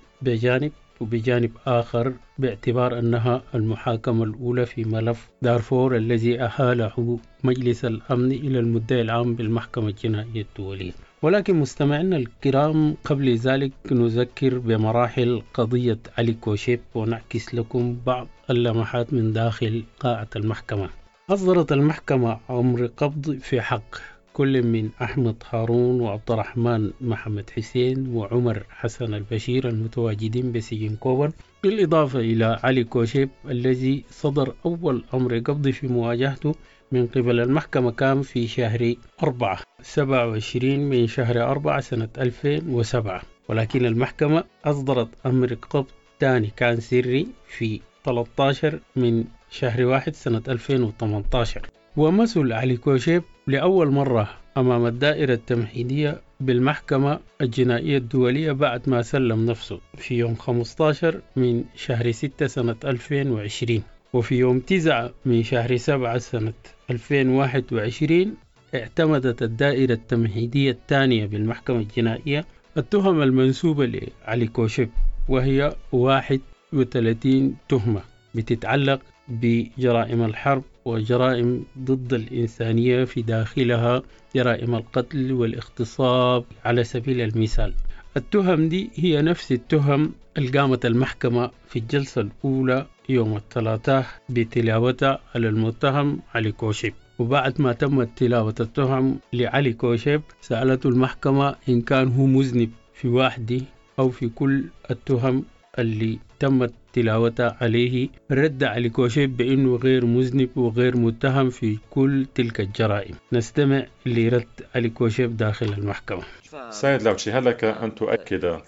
بجانب آخر باعتبار أنها المحاكمة الأولى في ملف دارفور الذي أحاله مجلس الأمن إلى المدعي العام بالمحكمة الجنائية الدولية. ولكن مستمعينا الكرام، قبل ذلك نذكر بمراحل قضية علي كوشيب ونعكس لكم بعض اللمحات من داخل قاعة المحكمة. أصدرت المحكمة أمر قبض في حق كل من أحمد هارون وعبد الرحمن محمد حسين وعمر حسن البشير المتواجدين بسجن كوبر، بالإضافة إلى علي كوشيب الذي صدر أول أمر قبض في مواجهته من قبل المحكمة كان في شهر 4 27 من شهر 4 سنة 2007، ولكن المحكمة أصدرت أمر قبض ثاني كان سري في 13 من شهر 1 سنة 2018. ومثل علي كوشيب لأول مرة أمام الدائرة التمهيدية بالمحكمة الجنائية الدولية بعد ما سلم نفسه في يوم 15 من شهر 6 سنة 2020، وفي يوم 9 من شهر 7 سنة 2021 اعتمدت الدائرة التمهيدية الثانية بالمحكمة الجنائية التهم المنسوبة لعلي كوشيب، وهي 31 تهمة بتتعلق بجرائم الحرب وجرائم ضد الإنسانية في داخلها جرائم القتل والاغتصاب على سبيل المثال. التهم دي هي نفس التهم اللي قامت المحكمة في الجلسة الأولى يوم الثلاثاء بتلاوتها على المتهم علي كوشيب. وبعد ما تمت تلاوة التهم لعلي كوشيب سألته المحكمة إن كان هو مذنب في واحدة أو في كل التهم اللي تمت تلاوتها عليه. رد علي كوشيب بأنه غير مذنب وغير متهم في كل تلك الجرائم. نستمع لرد علي كوشيب داخل المحكمة. سيد لاوتشي، هل لك أن تؤكد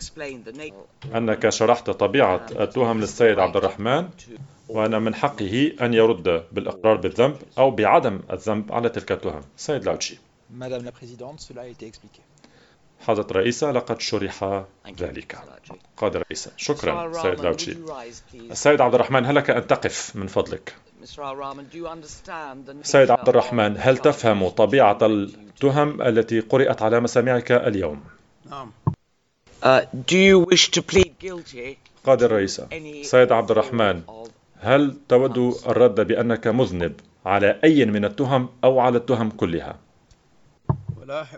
أنك شرحت طبيعة التهم للسيد عبد الرحمن وأن من حقه أن يرد بالإقرار بالذنب أو بعدم الذنب على تلك التهم؟ سيد لاوتشي. Madame la Présidente, cela a été expliqué. حضرة الرئيسة، لقد شرح ذلك. قاد الرئيسة. شكرا سيد لاوتشي. السيد عبد الرحمن، هل لك أن تقف من فضلك؟ سيد عبد الرحمن، هل تفهم طبيعة التهم التي قرأت على مسامعك اليوم؟ نعم. قاد الرئيسة. سيد عبد الرحمن، هل تود الرد بأنك مذنب على أي من التهم أو على التهم كلها؟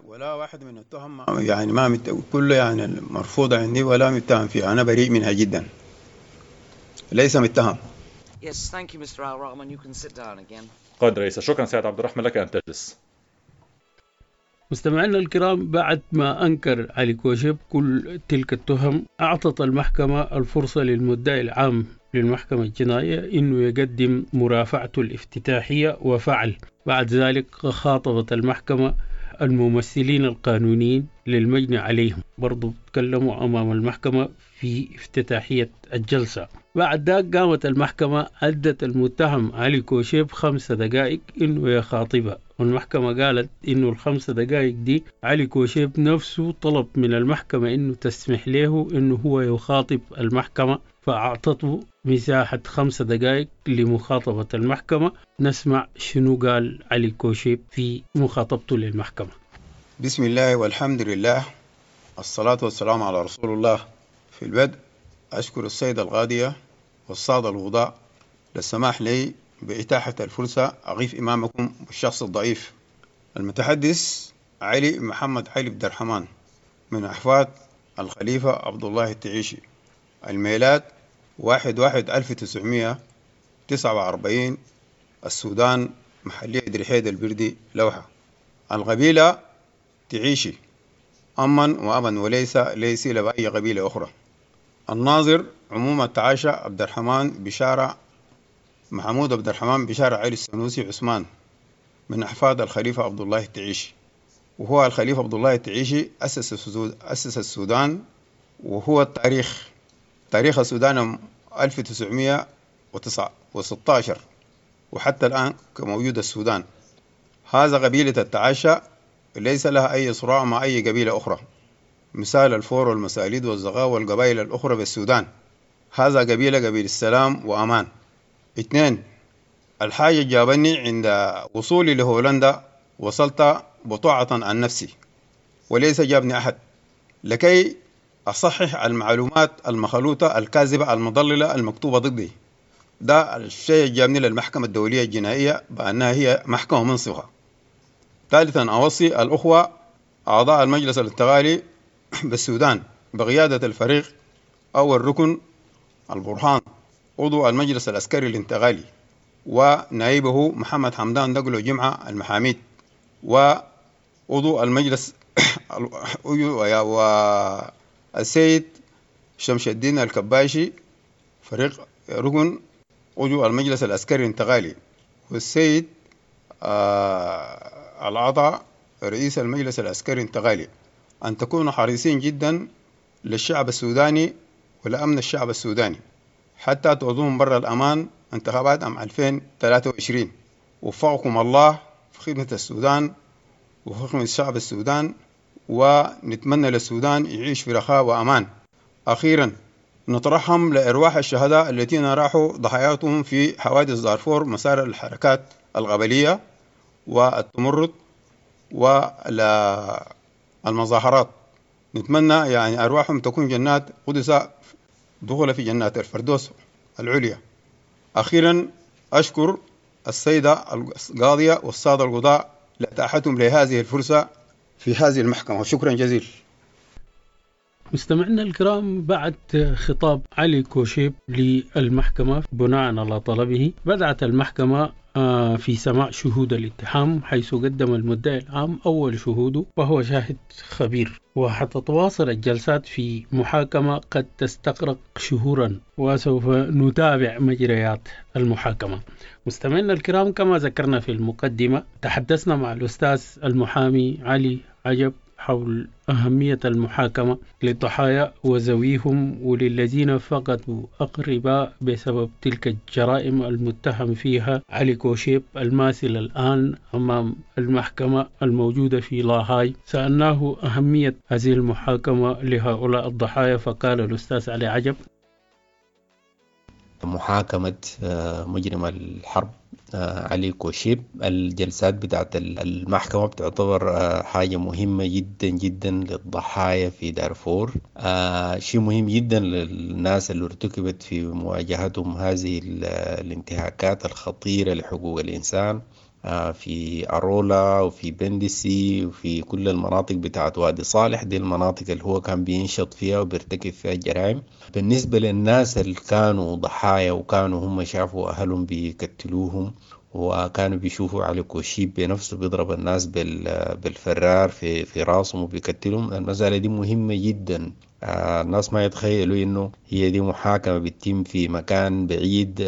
ولا واحد من التهم يعني ما كله يعني مرفوضة عندي ولا متهم فيها، أنا بريء منها جدا، ليس متهم. Yes, thank you, Mr. Al Rahman. You can sit down again. قاد رئيسة. شكرا سيد عبد الرحمن، لك أن تجلس. مستمعينا الكرام، بعد ما أنكر علي كوشيب كل تلك التهم، أعطت المحكمة الفرصة للمدعي العام للمحكمة الجنائية إنه يقدم مرافعته الافتتاحية، وفعل. بعد ذلك خاطبت المحكمة الممثلين القانونيين للمجني عليهم، برضو تكلموا أمام المحكمة في افتتاحية الجلسة. بعد ذاك قامت المحكمة أدت المتهم علي كوشيب 5 دقائق إنه يخاطبها، والمحكمة قالت إنه ال5 دقائق دي علي كوشيب نفسه طلب من المحكمة إنه تسمح له إنه هو يخاطب المحكمة، فأعطته مساحة 5 دقائق لمخاطبة المحكمة. نسمع شنو قال علي كوشيب في مخاطبته للمحكمة. بسم الله والحمد لله، الصلاة والسلام على رسول الله. في البدء أشكر السيدة القاضية والسادة الوضاء للسماح لي بإتاحة الفرصة أقف أمامكم الشخص الضعيف المتحدث علي محمد علي عبد الرحمن من أحفاد الخليفة عبد الله التعيشي. الميلاد 1/1/1949، السودان، محلية درحيد البردي، لوحة. القبيلة تعيشي أما وأبا، وليس ليس بأي قبيلة أخرى. الناظر عموم التعاشى عبد الرحمن بشارة محمود عبد الرحمن بشارة علي السنوسي عثمان من أحفاد الخليفة عبد الله التعيشي. وهو الخليفة عبد الله التعيشي أسس السودان، وهو التاريخ تاريخ السودان 1916 وحتى الآن كموجود السودان. هذا قبيلة التعاشى ليس لها أي صراع مع أي قبيلة أخرى، مثال الفور والمساليد والزغاوة والقبائل الأخرى بالسودان. هذا قبيلة قبيل السلام وأمان. 2، الحاجة جابني عند وصولي لهولندا وصلت بطاعة عن نفسي وليس جابني أحد، لكي أصحح المعلومات المخلوطة الكاذبة المضللة المكتوبة ضدي. ده الشيء جابني للمحكمة الدولية الجنائية بأنها هي محكمة منصفة. ثالثا، أوصي الأخوة أعضاء المجلس الانتقالي بالسودان بقيادة الفريق أو الركن البرهان عضو المجلس العسكري الانتقالي، ونائبه محمد حمدان دقلو جمعة المحاميد، وعضو المجلس والسيد شمس الدين الكباشي فريق ركن عضو المجلس العسكري الانتقالي، والسيد العطا رئيس المجلس العسكري الانتقالي، أن تكونوا حريصين جدا للشعب السوداني ولأمن الشعب السوداني حتى تعودون بر الأمان انتخابات عام 2023. وفقكم الله في خدمة السودان وفي خدمة الشعب السودان، ونتمنى للسودان يعيش في رخاء وأمان. أخيرا، نترحم لأرواح الشهداء الذين راحوا ضحاياهم في حوادث دارفور مسار الحركات القبلية والتمرد والمظاهرات. نتمنى يعني أرواحهم تكون جنات قدسة، دخل في جنات الفردوس العليا. أخيرا، أشكر السيدة القاضية والسادة القضاء لإتاحتهم لهذه الفرصة في هذه المحكمة، وشكرا جزيلا. مستمعينا الكرام، بعد خطاب علي كوشيب للمحكمة بناء على طلبه، بدأت المحكمة في سماع شهود الاتهام، حيث قدم المدعي العام أول شهوده وهو شاهد خبير. وحتتواصل الجلسات في محاكمة قد تستغرق شهورا، وسوف نتابع مجريات المحاكمة. مستمعينا الكرام، كما ذكرنا في المقدمة، تحدثنا مع الأستاذ المحامي علي عجب حول أهمية المحاكمة للضحايا وذويهم وللذين فقدوا أقرباء بسبب تلك الجرائم المتهم فيها علي كوشيب الماثل الآن أمام المحكمة الموجودة في لاهاي. سألناه أهمية هذه المحاكمة لهؤلاء الضحايا، فقال الأستاذ علي عجب: محاكمة مجرم الحرب علي كوشيب، الجلسات بتاعت المحكمة بتعتبر حاجة مهمة جدا جدا للضحايا في دارفور. شيء مهم جدا للناس اللي ارتكبت في مواجهتهم هذه الانتهاكات الخطيرة لحقوق الإنسان في أرولا وفي بندسي وفي كل المناطق بتاعت وادي صالح. دي المناطق اللي هو كان بينشط فيها وبيرتكب فيها الجرائم. بالنسبة للناس اللي كانوا ضحايا وكانوا هم شافوا أهلهم بيقتلوهم وكانوا بيشوفوا علي كوشيب بنفسه بيضرب الناس بالفرار في راسهم وبيقتلهم، المسألة دي مهمة جدا. الناس ما يتخيلوا إنه هي دي محاكمة بتتم في مكان بعيد،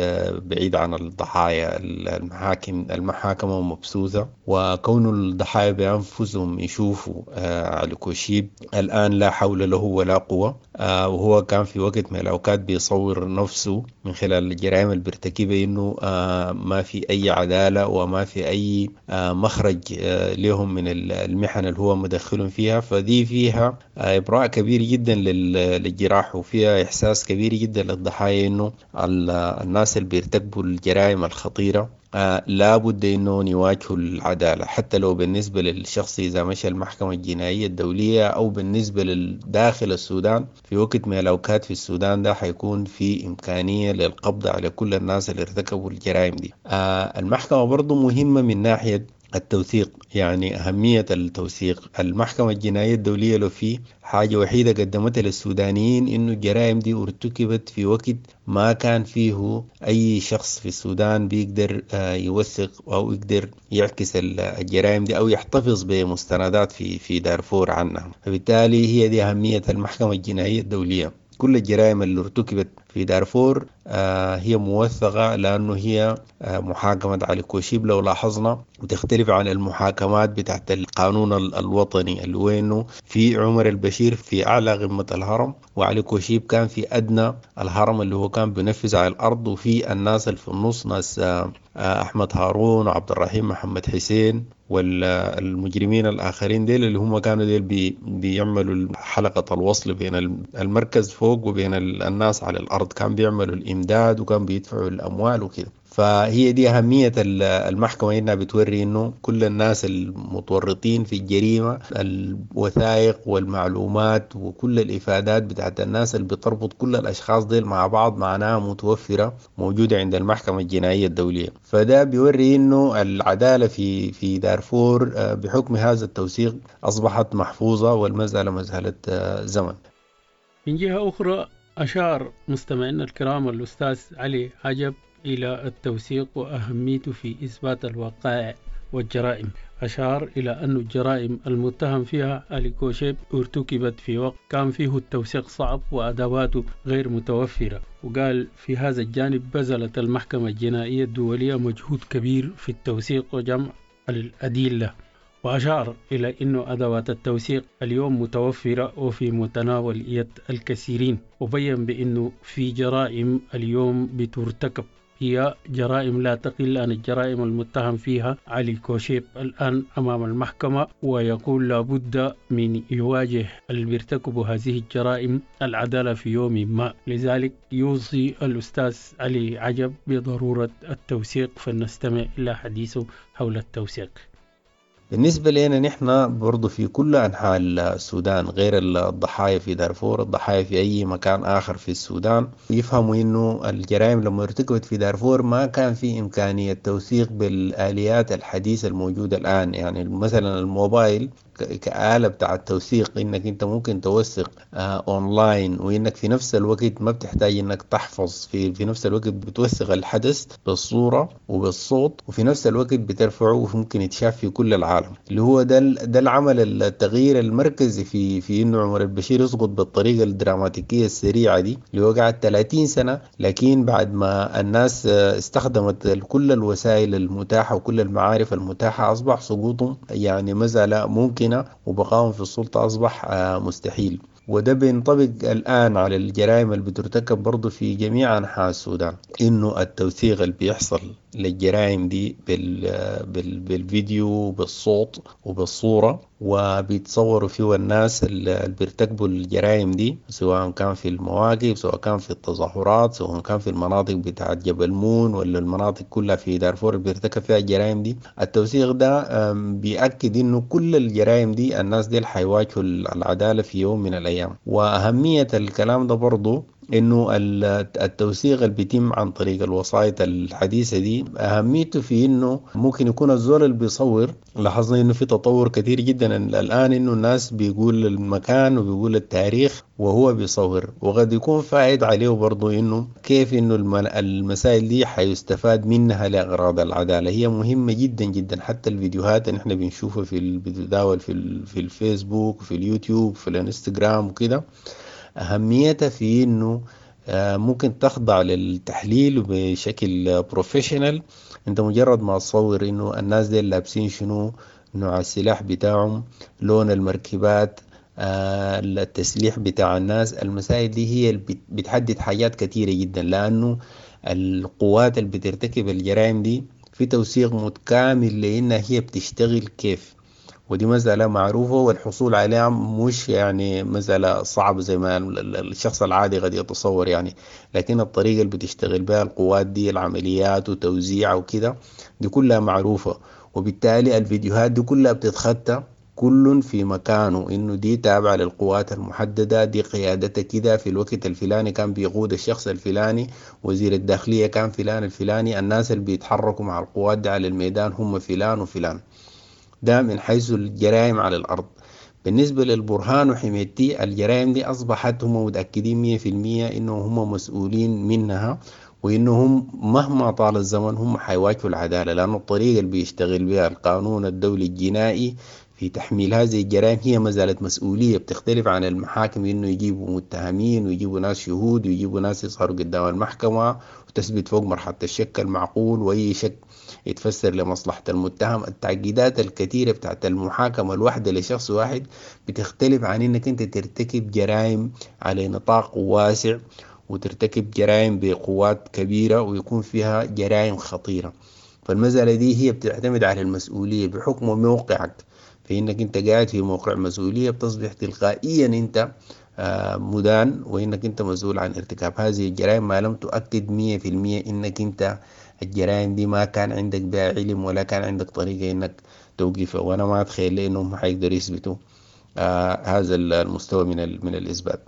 بعيد عن الضحايا. المحاكمة مبثوثة، وكون الضحايا بأنفسهم يشوفوا علي كوشيب الآن لا حول له ولا قوة، وهو كان في وقت من الأوقات بيصور نفسه من خلال الجرائم اللي بيرتكبها إنه ما في أي عدالة وما في أي مخرج لهم من المحن اللي هو مدخلهم فيها. فدي فيها إبراء كبير جدا للجراح، وفيها إحساس كبير جدا للضحايا إنه الناس اللي بيرتكبوا الجرائم الخطيرة لابد إنه يواجهوا العدالة، حتى لو بالنسبة للشخص إذا مشى المحكمة الجنائية الدولية أو بالنسبة للداخل السودان. في وقت من الأوقات في السودان ده حيكون في إمكانية للقبض على كل الناس اللي ارتكبوا الجرائم دي. المحكمة برضو مهمة من ناحية التوثيق، يعني أهمية التوثيق. المحكمة الجنائية الدولية لو في حاجة وحيدة قدمتها للسودانيين إنه الجرائم دي ارتكبت في وقت ما كان فيه أي شخص في السودان بيقدر يوثق أو يقدر يعكس الجرائم دي أو يحتفظ بمستندات في دارفور عنها. فبالتالي هي دي أهمية المحكمة الجنائية الدولية. كل الجرائم اللي ارتكبت في دارفور هي موثقة، لأنه هي محاكمة علي كوشيب لو لاحظنا بتختلف عن المحاكمات بتاعت القانون الوطني، اللي هو إنه في عمر البشير في أعلى قمة الهرم، وعلي كوشيب كان في أدنى الهرم اللي هو كان بينفذ على الأرض، وفي الناس اللي في النص ناس أحمد هارون وعبد الرحيم محمد حسين والمجرمين الآخرين ديل اللي هم كانوا ديل بيعملوا حلقة الوصل بين المركز فوق وبين الناس على الأرض، كان بيعملوا الإمداد وكان بيدفعوا الأموال وكده. فهي دي أهمية المحكمة، إنها بتوري إنه كل الناس المتورطين في الجريمة، الوثائق والمعلومات وكل الإفادات بتاعت الناس اللي بتربط كل الأشخاص ديل مع بعض معناها متوفرة موجودة عند المحكمة الجنائية الدولية. فده بيوري إنه العدالة في دارفور بحكم هذا التوثيق أصبحت محفوظة، والمسألة مسألة زمن. من جهة أخرى أشار مستمعينا الكرام الأستاذ علي عجب إلى التوثيق وأهميته في إثبات الوقائع والجرائم. أشار إلى أن الجرائم المتهم فيها علي كوشيب ارتكبت في وقت كان فيه التوثيق صعب وأدواته غير متوفرة، وقال في هذا الجانب بذلت المحكمة الجنائية الدولية مجهود كبير في التوثيق وجمع الأدلة، وأشار إلى أن أدوات التوثيق اليوم متوفرة وفي متناول يد الكثيرين، وبين بأنه في جرائم اليوم بترتكب هي جرائم لا تقل عن الجرائم المتهم فيها علي كوشيب الآن أمام المحكمة، ويقول لابد من يواجه اللي بيرتكبوا هذه الجرائم العدالة في يوم ما. لذلك يوصي الأستاذ علي عجب بضرورة التوثيق، فلنستمع إلى حديثه حول التوثيق. بالنسبة لنا نحن برضو في كل أنحاء السودان، غير الضحايا في دارفور، الضحايا في أي مكان آخر في السودان، يفهموا إنه الجرائم لما ارتكبت في دارفور ما كان في إمكانية توثيق بالآليات الحديثة الموجودة الآن. يعني مثلا الموبايل كآلة بتاع التوثيق، إنك أنت ممكن توثق أونلاين، وإنك في نفس الوقت ما بتحتاج إنك تحفظ، في نفس الوقت بتوثق الحدث بالصورة وبالصوت، وفي نفس الوقت بترفعه وممكن يتشاف في كل العالم. اللي هو ده العمل التغيير المركزي في إنه عمر البشير يسقط بالطريقة الدراماتيكية السريعة دي اللي هو قعد 30 سنة، لكن بعد ما الناس استخدمت كل الوسائل المتاحة وكل المعارف المتاحة أصبح سقوطهم يعني مسألة ممكنة، وبقائهم في السلطة أصبح مستحيل. وده بينطبق الآن على الجرائم اللي بترتكب برضو في جميع أنحاء السودان، إنه التوثيق اللي بيحصل للجرائم دي بالفيديو بالصوت وبالصورة، وبيتصوروا فيه الناس اللي بيرتكبوا الجرائم دي، سواء كان في المواقف، سواء كان في التظاهرات، سواء كان في المناطق بتاعت جبل مون ولا المناطق كلها في دارفور اللي بيرتكب فيها الجرائم دي. التوثيق ده بيأكد إنه كل الجرائم دي الناس دي حيواجهوا العدالة في يوم من الأيام. وأهمية الكلام ده برضو إنه التوثيق اللي بيتم عن طريق الوسائط الحديثة دي أهميته في إنه ممكن يكون الزول اللي بيصور، لاحظنا إنه في تطور كثير جدا الآن، إنه الناس بيقول المكان وبيقول التاريخ وهو بيصور، وقد يكون فائد عليه برضو إنه كيف إنه المسائل دي حيستفاد منها لأغراض العدالة. هي مهمة جدا جدا. حتى الفيديوهات اللي إحنا بنشوفها في بتتداول في الفيسبوك وفي اليوتيوب وفي الانستغرام وكده، أهميتها في إنه ممكن تخضع للتحليل بشكل professional. أنت مجرد ما تصور إنه الناس دي لابسين شنو، نوع السلاح بتاعهم، لون المركبات، التسليح بتاع الناس، المسائل دي هي اللي بتحدد حاجات كثيرة جدا، لأنه القوات اللي بترتكب الجرائم دي في توثيق متكامل لأنها هي بتشتغل كيف، ودي مسألة معروفة والحصول عليها مش يعني مسألة صعبة زي ما الشخص العادي قد يتصور يعني، لكن الطريقة اللي بتشتغل بها القوات دي، العمليات وتوزيعها وكده، دي كلها معروفة، وبالتالي الفيديوهات دي كلها بتتخطى كل في مكانه، إنه دي تابعة للقوات المحددة، دي قيادتها كده في الوقت الفلاني كان بيقود الشخص الفلاني، وزير الداخلية كان فلان الفلاني، الناس اللي بيتحركوا مع القوات دي على الميدان هم فلان وفلان. ده من حيث الجرائم على الأرض. بالنسبة للبرهان وحميدتي، الجرائم دي أصبحت هم متأكدين 100% إنه هم مسؤولين منها، وإنهم مهما طال الزمن هم حيواجهوا العدالة، لأنه الطريقة اللي بيشتغل بها القانون الدولي الجنائي في تحميل هذه الجرائم هي ما زالت مسؤولية، بتختلف عن المحاكم إنه يجيبوا متهمين ويجيبوا ناس شهود ويجيبوا ناس يظهروا قدام المحكمة وتثبت فوق مرحلة الشك المعقول، وأي شك يتفسر لمصلحة المتهم. التعقيدات الكثيرة بتاعت المحاكمة الواحدة لشخص واحد بتختلف عن إنك أنت ترتكب جرائم على نطاق واسع وترتكب جرائم بقوات كبيرة ويكون فيها جرائم خطيرة. فالمسألة دي هي بتعتمد على المسؤولية بحكم موقعك، فإنك أنت قاعد في موقع مسؤولية بتصبح تلقائيا أنت مدان، وإنك أنت مسؤول عن ارتكاب هذه الجرائم ما لم تؤكد 100% إنك أنت الجرائم دي ما كان عندك بها علم ولا كان عندك طريقة إنك توقفها. وأنا ما أتخيل إنهم حيقدروا يثبتوا هذا المستوى من الإثبات.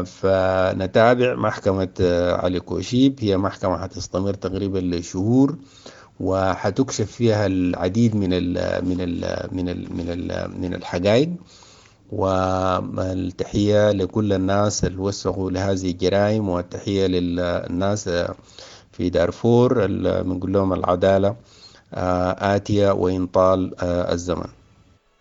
فنتابع محكمة علي كوشيب، هي محكمة حتستمر تقريبا لشهور، وحتكشف فيها العديد من ال من ال من ال من ال من الحقائق. والتحية لكل الناس اللي وثقوا لهذه الجرائم، والتحية للناس في دارفور اللي بنقول لهم العدالة آتية وإن طال الزمن.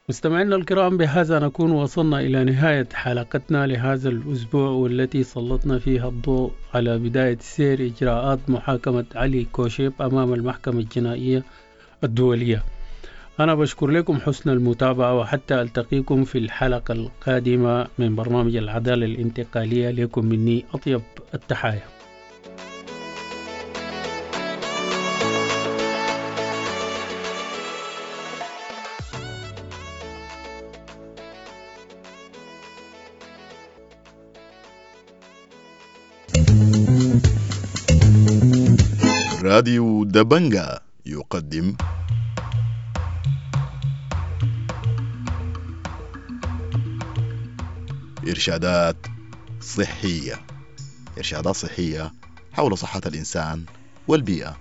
مستمعينا الكرام، بهذا نكون وصلنا إلى نهاية حلقتنا لهذا الأسبوع، والتي سلطنا فيها الضوء على بداية سير إجراءات محاكمة علي كوشيب أمام المحكمة الجنائية الدولية. أنا بشكر لكم حسن المتابعة، وحتى ألتقيكم في الحلقة القادمة من برنامج العدالة الانتقالية. لكم مني أطيب التحايا. راديو دبنجا يقدم إرشادات صحية، إرشادات صحية حول صحة الإنسان والبيئة.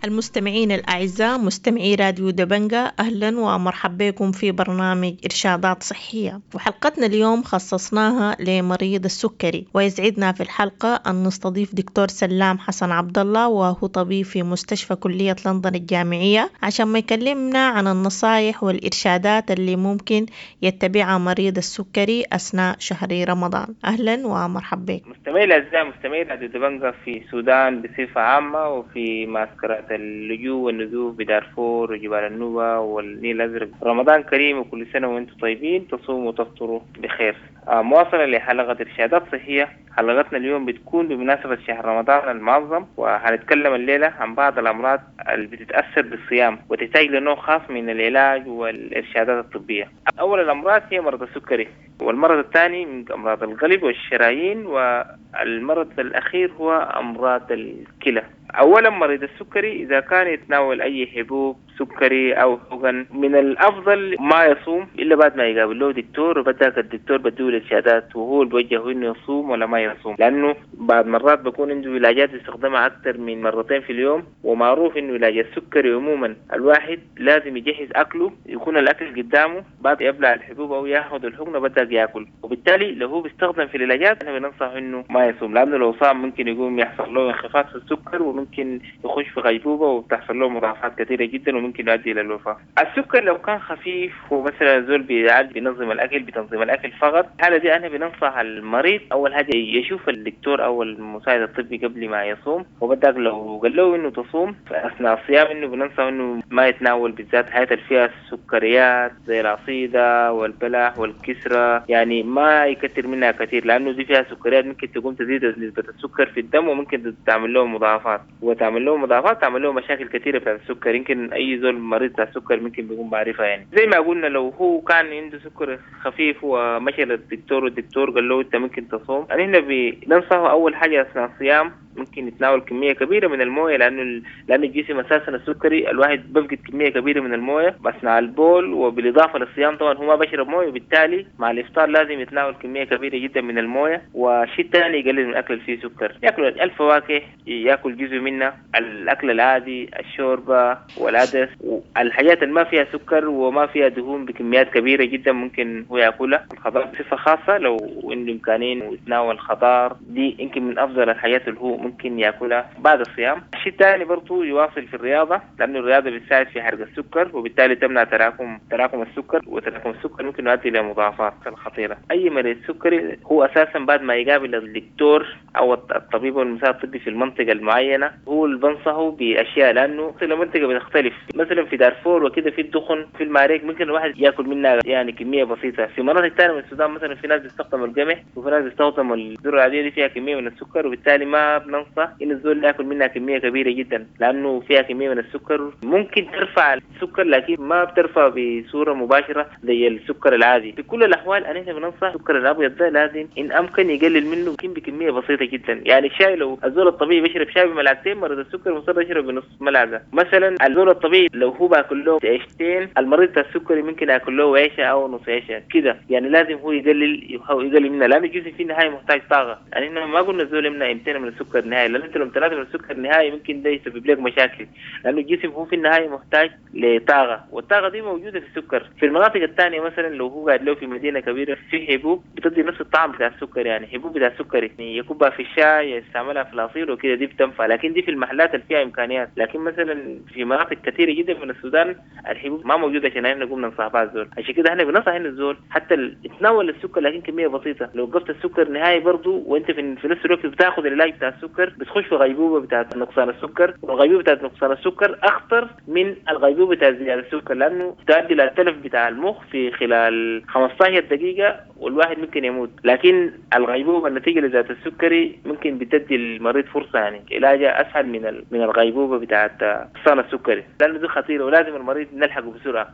المستمعين الأعزاء مستمعي راديو دبنجا، أهلا ومرحبا بكم في برنامج إرشادات صحية. وحلقتنا اليوم خصصناها لمريض السكري، ويسعدنا في الحلقة أن نستضيف دكتور سلام حسن عبد الله، وهو طبيب في مستشفى كلية لندن الجامعية، عشان ما يكلمنا عن النصائح والإرشادات اللي ممكن يتبعها مريض السكري أثناء شهر رمضان. أهلا ومرحبا بك. مستمعي الأعزاء مستمعي راديو دبنجا في السودان بصفة عامة، وفي معسكرات اللجوء والنزوح بدارفور وجبال النوبة والنيل الأزرق، رمضان كريم وكل سنة وانتم طيبين، تصوموا وتفطروا بخير. مواصلة لحلقة إرشادات صحية، حلقتنا اليوم بتكون بمناسبة شهر رمضان المعظم، وهنتكلم الليلة عن بعض الأمراض اللي بتتأثر بالصيام وتحتاج لنوع خاص من العلاج والإرشادات الطبية. أول الأمراض هي مرض السكري، والمرض الثاني من أمراض القلب والشرايين، والمرض الأخير هو أمراض الكلى. أولا مريض السكري إذا كان يتناول أي حبوب سكري أو حقن، من الأفضل ما يصوم إلا بعد ما يقابل له دكتور، وبدأك الدكتور بديه الإرشادات وهو اللي بيوجهه إنه يصوم ولا ما يصوم، لأنه بعد مرات بكون عنده علاجات يستخدمها أكثر من مرتين في اليوم، ومعروف إنه علاج السكري عموما الواحد لازم يجهز أكله، يكون الأكل قدامه بعد يبلع الحبوب أو ياخذ الحقنة بدأ ياكل، وبالتالي لو هو بيستخدم في العلاجات أنا بننصح إنه ما يصوم، لأنه لو صام ممكن يقوم يحصل له انخفاض في السكر، وممكن يخش في غيبوبة وتحصل له مضاعفات كثيرة جدا وممكن يؤدي إلى الوفاة. السكر لو كان خفيف ومثلا زول بيعالج بينظم الأكل بتنظيم الأكل فقط، الحالة دي أنا بننصح المريض أول حاجة يشوف الدكتور أو المساعد الطبي قبل ما يصوم، وبدأ لو قال له إنه تصوم فأثناء الصيام إنه بننصح إنه ما يتناول بالذات حاجات اللي فيها السكريات زي العصيدة والبلح والكسرة، يعني ما يكثر منها كثير، لأنه دي فيها سكريات ممكن تقوم تزيد نسبة السكر في الدم، وممكن تعمل له مضاعفات، وتعمل له مضاعفات تعمل له مشاكل كثيرة في السكر. يمكن أي اي زول مريض بتاع سكر ممكن بيكون بعرفها. يعني زي ما قلنا لو هو كان عنده سكر خفيف ومشى للدكتور والدكتور قال له انت ممكن تصوم، يعني احنا بننصحه اول حاجة اثناء الصيام ممكن يتناول كمية كبيرة من المويه، لانه الجسم اساسا السكري الواحد بفقد كمية كبيرة من المويه اثناء البول، وبالاضافة للصيام طبعا هو ما بشرب مويه، وبالتالي مع الافطار لازم يتناول كمية كبيرة جدا من المويه. والشيء الثاني يقلل من الاكل اللي فيه سكر، ياكل الفواكه، ياكل جزء منها، الاكل العادي، الشوربة والعدس والحاجات اللي ما فيها سكر وما فيها دهون بكميات كبيرة جدا ممكن هو ياكلها. الخضار بصفة خاصة لو عنده امكانية يتناول خضار، دي يمكن من افضل الحاجات اللي هو ممكن ياكلها بعد الصيام. الشيء الثاني برضه يواصل في الرياضة، لانه الرياضة بتساعد في حرق السكر وبالتالي تمنع تراكم السكر، وتراكم السكر ممكن يؤدي الى مضاعفات خطيرة. اي مريض سكري هو اساسا بعد ما يقابل الدكتور او الطبيب والمساعد الطبي في المنطقة المعينة هو اللي بنصحه باشياء، لانه المنطقة بتختلف. مثلا في دارفور وكده في الدخن في المعارك ممكن الواحد ياكل منها يعني كمية بسيطة. في مناطق ثانية من السودان مثلا في ناس بيستخدموا القمح وفي ناس بيستخدموا الذرة العادية دي فيها كمية من السكر، وبالتالي ما بننصح ان الزول ياكل منها كمية كبيرة جدا لانه فيها كمية من السكر ممكن ترفع السكر لكن ما بترفع بصورة مباشرة زي السكر العادي. في كل الاحوال انا بننصح السكر الابيض ده لازم ان امكن يقلل منه يمكن بكمية بسيطة جدا. يعني الشاي لو الزول الطبيعي بيشرب شاي بملعقتين، مريض السكر مصر يشرب بنص ملعقة مثلا. الزول الطبيعي لو هو باكل له عيشتين، المريض السكري ممكن ياكل له عيشه او نص عيشه كده، يعني لازم هو يقلل منها لانه الجسم في النهاية محتاج طاقة. يعني احنا ما قلنا الزول يمنع يمتنع من السكر نهائي، لان انت لو امتنعت من السكر نهائي ممكن ده يسبب لك مشاكل، لانه الجسم هو في النهاية محتاج لطاقة، والطاقة دي موجودة في السكر. في المناطق الثانية مثلا لو هو قاعد له في مدينة كبيرة في حبوب بتدي نفس الطعم بتاع السكر، يعني حبوب بتاع السكر يعني يكبها في الشاي، يستعملها في العصير وكده، دي بتنفع، لكن دي في المحلات اللي فيها امكانيات. لكن مثلا في مناطق كثيرة جدا من السودان الحبوب ما موجودة عشان احنا نقوم ننصح بها الزول. عشان كده احنا بننصح ان الزول حتى يتناول السكر لكن كمية بسيطة. لو وقفت السكر نهائي برضه وانت في نفس الوقت بتاخذ العلاج بتاع السكر بتخش في غيبوبة بتاعت نقصان السكر، والغيبوبه بتاعت نقصان السكر اخطر من الغيبوبه بتاعت زيادة السكر، لانه تؤدي الى التلف بتاع المخ في خلال 15 دقيقة والواحد ممكن يموت. لكن الغيبوبه النتيجة لذات السكري ممكن بتدي المريض فرصة، يعني علاجها اسهل من الغيبوبه بتاعت نقصان السكري، لانه دي خطيرة ولازم المريض نلحقه بسرعة.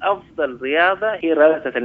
افضل رياضة هي رياضة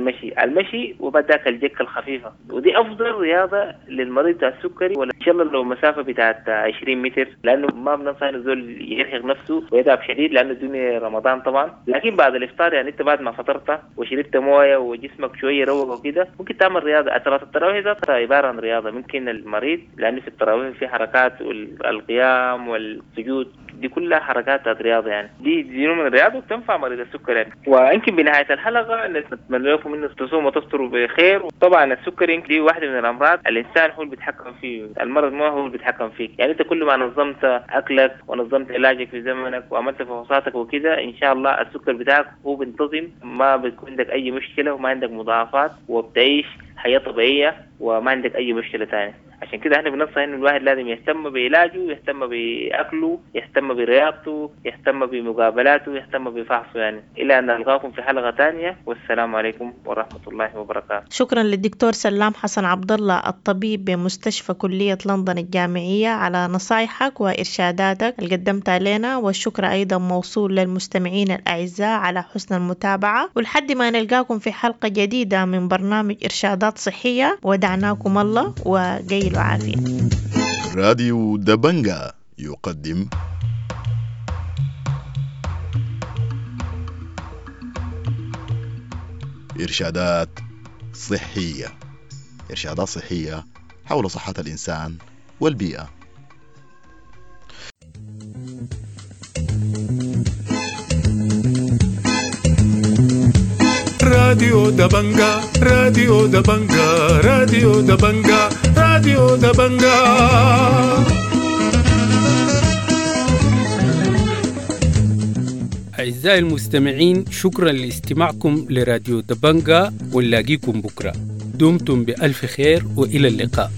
المشي وبعد ذاك الجكه الخفيفة، ودي افضل رياضة للمريض بتاع السكري، ولا ان شاء الله لو مسافة بتاعت 20 متر، لانه ما بننصح انه الزول يرهق نفسه ويتعب شديد لانه الدنيا رمضان طبعا. لكن بعد الافطار يعني انت بعد ما فطرت وشربت مويه وجسمك شوية روق وكده ممكن تعمل رياضة. صلاة التراويح ذاتها عبارة عن رياضة، ممكن المريض لانه في التراويح في حركات والقيام والسجود دي كلها حركات رياضة، يعني دي نوع من الرياضة وبتنفع مريض السكر يعني. ويمكن بنهاية الحلقة نتمنى لكم انه تصوموا وتفطروا بخير. طبعا السكر دي واحدة من الامراض الانسان هو اللي بيتحكم فيه، المرض ما هو اللي بيتحكم فيك. يعني انت كل ما نظمت اكلك ونظمت علاجك في زمنك وعملت فحوصاتك وكده ان شاء الله السكر بتاعك هو بينتظم، ما بيكون عندك اي مشكلة وما عندك مضاعفات وبتعيش حياة طبيعية وما عندك اي مشكلة ثانية. عشان كده احنا بننصح انه الواحد لازم يهتم بعلاجه، يهتم باكله، يهتم برياضته، يهتم بمقابلاته، يهتم بفحصه يعني. الى ان نلقاكم في حلقة ثانية، والسلام عليكم ورحمة الله وبركاته. شكرا للدكتور سلام حسن عبد الله الطبيب بمستشفى كليه لندن الجامعية على نصايحك وارشاداتك اللي قدمتها لنا، والشكر ايضا موصول للمستمعين الاعزاء على حسن المتابعة، ولحد ما نلقاكم في حلقة جديدة من برنامج ارشادات صحية، ودعناكم الله وقيلوا عافية. راديو دبنجا يقدم إرشادات صحية، إرشادات صحية حول صحة الإنسان والبيئة. راديو دبنجا، راديو دبنجا، راديو دبنجا، راديو دبنجا. أعزائي المستمعين، شكرا لاستماعكم لراديو دبنجا، ونلاقيكم بكرة. دمتم بألف خير وإلى اللقاء.